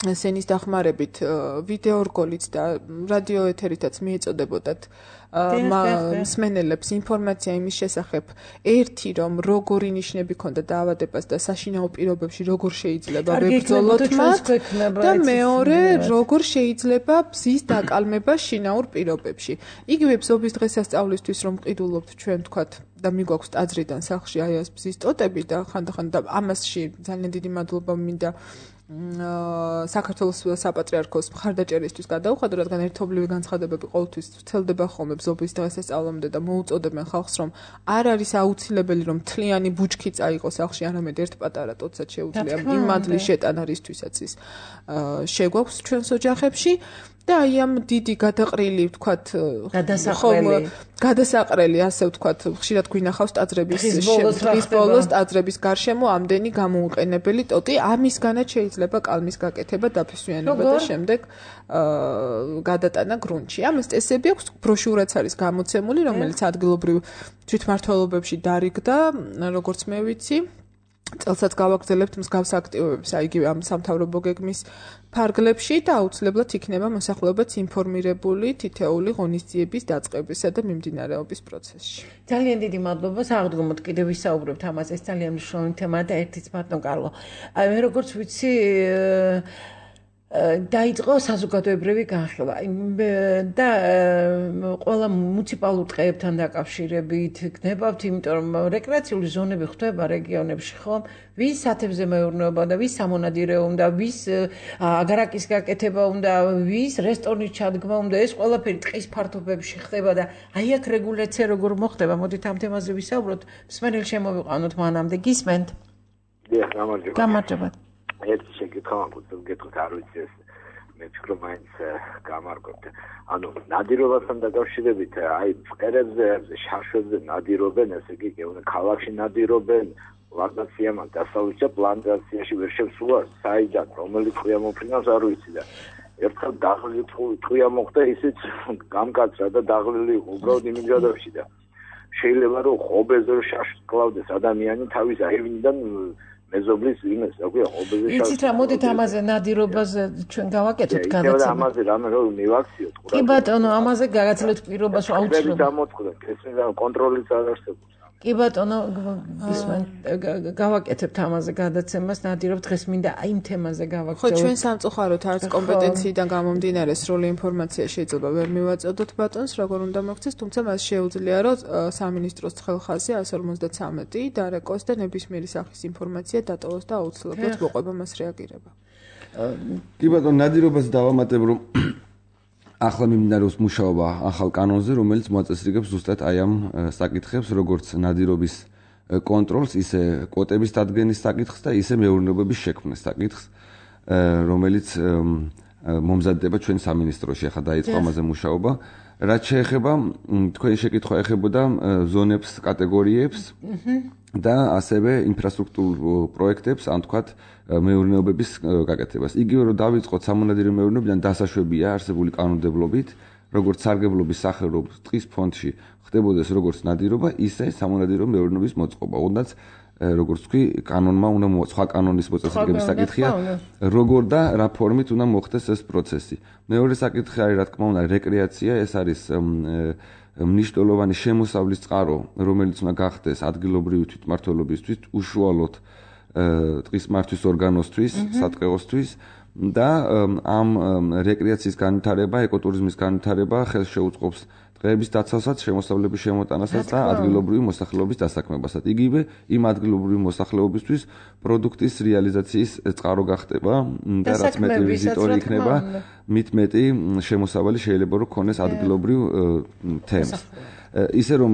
სენის დახმარებით ვიდეო რგოლით და რადიო ეთერითაც მიეწოდებოდათ მსმენელებს ინფორმაცია იმის შესახებ ერთი რომ როგორი ნიშნები ქონდა დაავადებას და საშინაო პირობებში როგორ შეიძლება ვებრძოლოთ მათ და მეორე როგორ შეიძლება ბზის დაკალმება შინაურ პირობებში. იგივე ბზობის დღესასწაულისთვის რომ მყიდულობთ ჩვენ თქვათ და მიგვაქვს ტაძრიდან სახლში აი ეს ბზის ტოტები და ხანდახან და ამასში ძალიან დიდი მადლობა მინდა საქართველოს საპატრიარქოს მხარდაჭერისთვის გადაუხადო, რადგან ერთობლივი განცხადებები ყოველთვის ვრცელდება ხოლმე ბზობის დღესასწაულამდე და მოუწოდებენ ხალხს, რომ არ არის აუცილებელი, რომ მთლიანი ბუჩქი წაიყოს სახლში, არამედ ერთ პატარა ტოტსაც შეუძლია იმ მადლის შეტანა, რისთვისაც ის შეგვაქვს ჩვენს ოჯახებში. და აი ამ დიდი გადაყრილი ვთქვათ გადასაყრელი გადასაყრელი ასე ვთქვათ ხშირად გვინახავს ტაძრების დღის ბოლოს ტაძრების გარშემო ამდენი გამოუყენებელი ტოტი ამისგანაც შეიძლება კალმის გაკეთება დაფესვიანება და შემდეგ გადატანა გრუნტში. ამას წესები აქვს, ბროშურაც არის გამოცემული, რომელიც ადგილობრივ თვითმმართველობებში დარიგდა, როგორც მე ვიცი. წელსაც გავაგრძელებთ მსგავს აქტივობებს, აი იგივე ამ სამთავრობო გეგმის ფარგლებში და აუცილებლად იქნება მოსახლეობაც ინფორმირებული თითეული ღონისძიების დაწყებისა და მიმდინარეობის პროცესში. ძალიან დიდი მადლობა, საღდგომოდ კიდევ ვისაუბრებთ ამაზე, ეს ძალიან მნიშვნელოვანი თემაა და ერთიც ბატონ კარლო. აი მე როგორც ვიცი დაიწყო საზოგადოებრივი განხილვა და ყველა მუნიციპალურ ტყეებთან დაკავშირებით გნებავთ, იმიტომ რომ რეკრეაციული ზონები ხდება რეგიონებში, ხო? ვის ათებზე მეურნეობა და ვის სამონადირე უნდა, ვის აგარაკის გაკეთება უნდა, ვის რესტორნის ჩადგმა უნდა, ეს ყველაფერი ტყის ფართობებში ხდება და აი აქ რეგულაცია როგორ მოხდება, მოდით ამ თემაზე ვისაუბროთ, მსმენელი შემოვიყვანოთ მანამდე, გისმენთ? დიახ, გამარჯობა. გამარჯობა. ერთი შეკითხვა მაქვს, გეტყვით არ ვიცი ეს მე ვფიქრობ მაინც გამარჯობთ. ანუ ნადირობასთან დაკავშირებით აი ფყერებზე, შარშებზე ნადირობენ, ესე იგი გეუბნე ქალაქში ნადირობენ, პლანტაციამ დასავლეთში პლანტაციაში ვერ შევსულა საიდან რომელი ტყვია მოფრინავს არ ვიცი და ერთხელ დაღლილი ტყვია მოხდა ისიც გამკაცრა და დაღლილი უბრალოდ იმიგრადებში და შეიძლება რომ ხობეზე შარშს კლავდეს ადამიანი თავის აივნიდან მეზობლის იმას, აკვია ხობეზე შარშს. იცით რა, მოდით ამაზე ნადირობაზე ჩვენ გავაკეთოთ გადაცემა. და ამაზე რამე რომ მივაქციოთ ყურადღება. კი ბატონო, ამაზე გაგაცლებთ პირობას აუცილებლად. ეს დამოწყდა, ეს კონტროლიც არ არსებობს. კი ბატონო, გავაკეთებთ ამაზე გადაცემას, ნადირობ დღეს მინდა აი იმ თემაზე გავაგრძელოთ. ხო, ჩვენ სამწუხაროდ არც კომპეტენციიდან გამომდინარე სრული ინფორმაცია შეიძლება ვერ მივაწოდოთ ბატონს, როგორ უნდა მოხდეს, თუმცა მას შეუძლია, რომ სამინისტროს ცხელხაზი εκατს ორმოცდათვრამეტი დარეკოს და ნებისმიერი სახის ინფორმაცია დატოვოს და აუცილებლად მოყვება მას რეაგირება. კი ბატონო, ნადირობას დავამატებ, რომ ახლა მიმდინარეობს მუშაობა ახალ კანონზე, რომელიც მოაწესრიგებს ზუსტად აი ამ საკითხებს, როგორც ნადირობის კონტროლს, ისე კვოტების დადგენის საკითხს და ისე მეურნეობების შექმნის საკითხს, რომელიც მომზადდება ჩვენ სამინისტროში, ახლა დაიწყო ამაზე მუშაობა. რაც შეეხება თქვენი შეკითხვა ეხებოდა ზონებს, კატეგორიებს და ასევე ინფრასტრუქტურულ პროექტებს, ან თქვათ მეურნეობების გაკეთებას. იგივე რომ დავიწყოთ სამონადირო მეურნეობიდან დასაშვებია არსებული კანონმდებლობით, როგორც სარგებლობის სახელობის ტყის ფონდში ხდებოდეს როგორც ნადირობა, ისე სამონადირო მეურნეობის მოწყობა. უნდაც როგორც თქვი, კანონმა უნდა სხვა კანონის მოწესრიგების საკითხია, როგორ და რა ფორმით უნდა მოხდეს ეს პროცესი. მეორე საკითხი არის, რა თქმა უნდა, რეკრეაცია, ეს არის მნიშვნელოვანი შემოსავლის წყარო, რომელიც უნდა გახდეს ადგილობრივი თვითმმართველობისთვის, უშუალოდ ტყის მართვის ორგანოსთვის, სატყეოსთვის და ამ რეკრეაციის განვითარება, ეკოტურიზმის განვითარება ხელს შეუწყობს ტყეების დაცვასაც, შემოსავლების შემოტანასაც და ადგილობრივი მოსახლეობის დასაქმებასაც. იგივე იმ ადგილობრივი მოსახლეობისთვის პროდუქტის რეალიზაციის წყარო გახდება და რაც მეტი ვიზიტორი იქნება, მით მეტი შემოსავალი შეიძლება რომ ქონდეს ადგილობრივ თემს. ისე რომ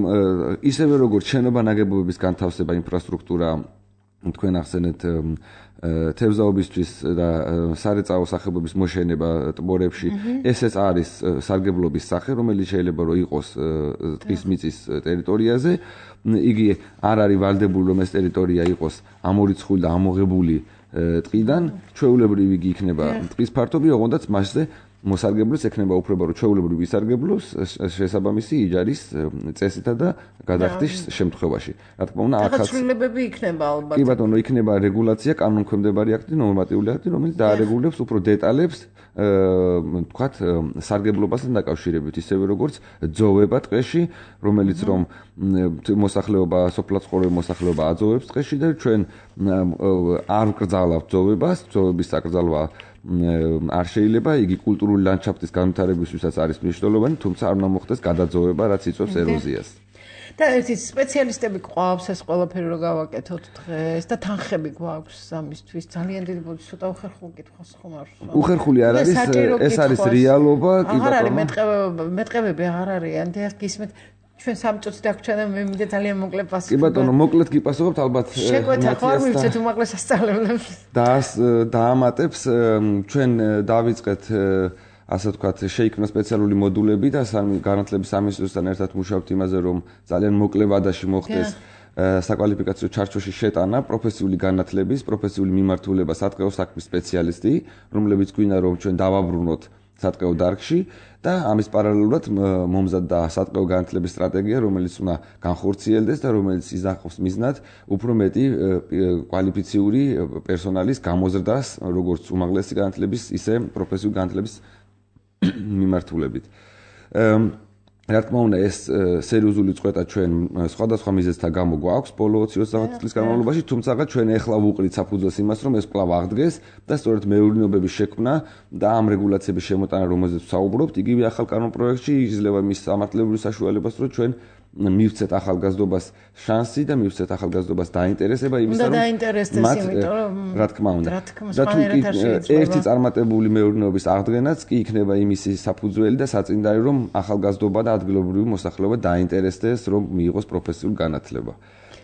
ისევე როგორც შენობა ნაგებობების განთავსება, ინფრასტრუქტურა, თქვენ ახსენეთ თევზაობისთვის და სარეწაო სახებობის მოშენება ტბორებში, ესეც არის სარგებლობის სახე, რომელიც შეიძლება რომ იყოს ტყის მიწის ტერიტორიაზე. იგი არ არის ვალდებული, რომ ეს ტერიტორია იყოს ამორიცხული და ამოღებული ტყიდან, ჩვეულებრივ იგი იქნება ტყის ფართობი, ოღონდაც მასზე მოსარგებლოს ექნება უფლება, რომ ჩვეულებრივ ისარგებლოს შესაბამისი იჯარის წესითა და გადახდის შემთხვევაში. რა თქმა უნდა, ახაც ცვლილებები იქნება ალბათ. კი ბატონო, იქნება რეგულაცია, კანონქვემდებარი აქტი, ნორმატიული აქტი, რომელიც დაარეგულებს უფრო დეტალებს, თქვათ, სარგებლობასთან დაკავშირებით, ისევე როგორც ძოვება ტყეში, რომელიც რომ მოსახლეობა, სოფლაცხოვრებელ მოსახლეობა აძოვებს ტყეში და ჩვენ არ ვკრძალავთ ძოვებას, ძოვების საკრძალვა არ შეიძლება, იგი კულტურული ლანდშაფტის განვითარებისთვისაც არის მნიშვნელოვანი, თუმცა არ უნდა მოხდეს გადაძოვება, რაც იწვევს ეროზიას. და ერთი სპეციალისტები გვყავს ეს ყველაფერი რომ გავაკეთოთ დღეს და თანხები გვაქვს ამისთვის. ძალიან დიდი ბოდი ცოტა უხერხული კითხვას ხომ არ ვსვამ. უხერხული არ არის, ეს არის რეალობა, კი ბატონო. აღარ არის მეტყევები, მეტყევები აღარ არიან. და გისმენთ ჩვენ სამი წუთი დაგვრჩა და მე მინდა ძალიან მოკლე პასუხი. კი ბატონო, მოკლედ გიპასუხებთ ალბათ. შეგვეთა ხო არ მივცეთ უმაღლეს სასწავლებლებს. და დაამატებს ჩვენ დავიწყეთ ასე ვთქვათ, შეიქმნა სპეციალური მოდულები და სამი განათლების სამინისტროსთან ერთად მუშაობთ იმაზე, რომ ძალიან მოკლე ვადაში მოხდეს საკვალიფიკაციო ჩარჩოში შეტანა პროფესიული განათლების, პროფესიული მიმართულება სატყეო საქმის სპეციალისტი, რომლებიც გვინდა რომ ჩვენ დავაბრუნოთ სატყეო დარგში და ამის პარალელურად მომზადდა სატყეო განათლების სტრატეგია, რომელიც უნდა განხორციელდეს და რომელიც იზახავს მიზნად უფრო მეტი კვალიფიციური პერსონალის გამოზრდას, როგორც უმაღლესი განათლების, ისე პროფესიული განათლების მიმართულებით. რა თქმა უნდა, ეს სერიოზული წყვეტა ჩვენ სხვადასხვა მიზეზთა გამო გვაქვს ბოლო ოცი ოცდაათი წლის განმავლობაში, თუმცა ჩვენ ეხლა ვუყრით საფუძველს იმას, რომ ეს კვლავ აღდგეს და სწორედ მეურნეობების შექმნა და ამ რეგულაციების შემოტანა, რომელზეც ვსაუბრობთ, იგივე ახალ კანონპროექტში იძლევა მის სამართლებრივ საშუალებას, რომ ჩვენ მივცეთ ახალგაზრდობას შანსი და მივცეთ ახალგაზრდობას დაინტერესება იმისა, რომ დაინტერესდეს, იმიტომ რომ რა თქმა უნდა. და თუ ერთი წარმატებული მეურნეობის აღდგენაც კი იქნება იმისი საფუძველი და საწინდარი, რომ ახალგაზრდობა და ადგილობრივი მოსახლეობა დაინტერესდეს, რომ მიიღოს პროფესიული განათლება.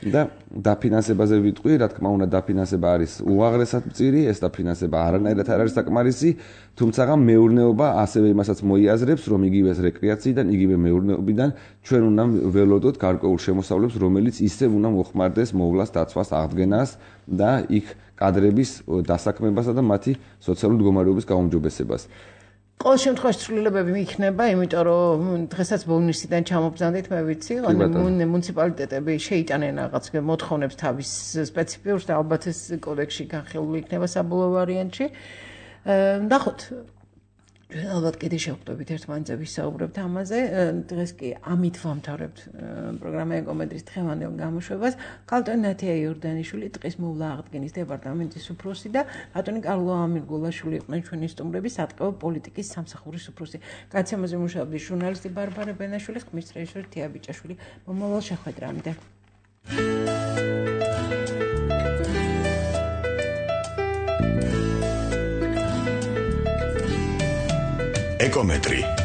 და დაფინანსებაზე ვიტყვი, რა თქმა უნდა, დაფინანსება არის უაღრესად მწირი, ეს დაფინანსება არანაირად არ არის საკმარისი, თუმცა მეურნეობა ასევე იმასაც მოიაზრებს, რომ იგივე რეკრეაციიდან, იგივე მეურნეობიდან ჩვენ უნდა ველოდოთ გარკვეულ შემოსავლებს, რომელიც ისევ უნდა მოხმარდეს მოვლას, დაცვას, აღდგენას და იქ კადრების დასაქმებასა და მათი სოციალური მდგომარეობის გაუმჯობესებას. ყოველ შემთხვევაში ცვლილებები იქნება, იმიტომ რომ დღესაც ბონუსიდან ჩამობრძანდით, მე ვიცი, ანუ მუნიციპალიტეტები შეიტანენ რაღაც მოთხოვნებს თავის სპეციფიურს და ალბათ ეს კოდექსში განხილული იქნება საბოლოო ვარიანტში. ნახოთ. ჩვენ ალბათ კიდე შევხვდებით ერთმანეთზე ვისაუბრებთ ამაზე. დღეს კი ამით ვამთავრებთ პროგრამა ეკომედრის დღევანდელ გამოშვებას. ქალბატონი ნათია იორდანიშვილი, ტყის მოვლა აღდგენის დეპარტამენტის უფროსი და ბატონი კარლო ამირგულაშვილი იყვნენ ჩვენი სტუმრები, სატყეო პოლიტიკის სამსახურის უფროსი. გადაცემაზე მუშაობდი ჟურნალისტი ბარბარე ბენაშვილი, ხმის რეჟისორი თია ბიჭაშვილი. მომავალ შეხვედრამდე. ეკომეტრი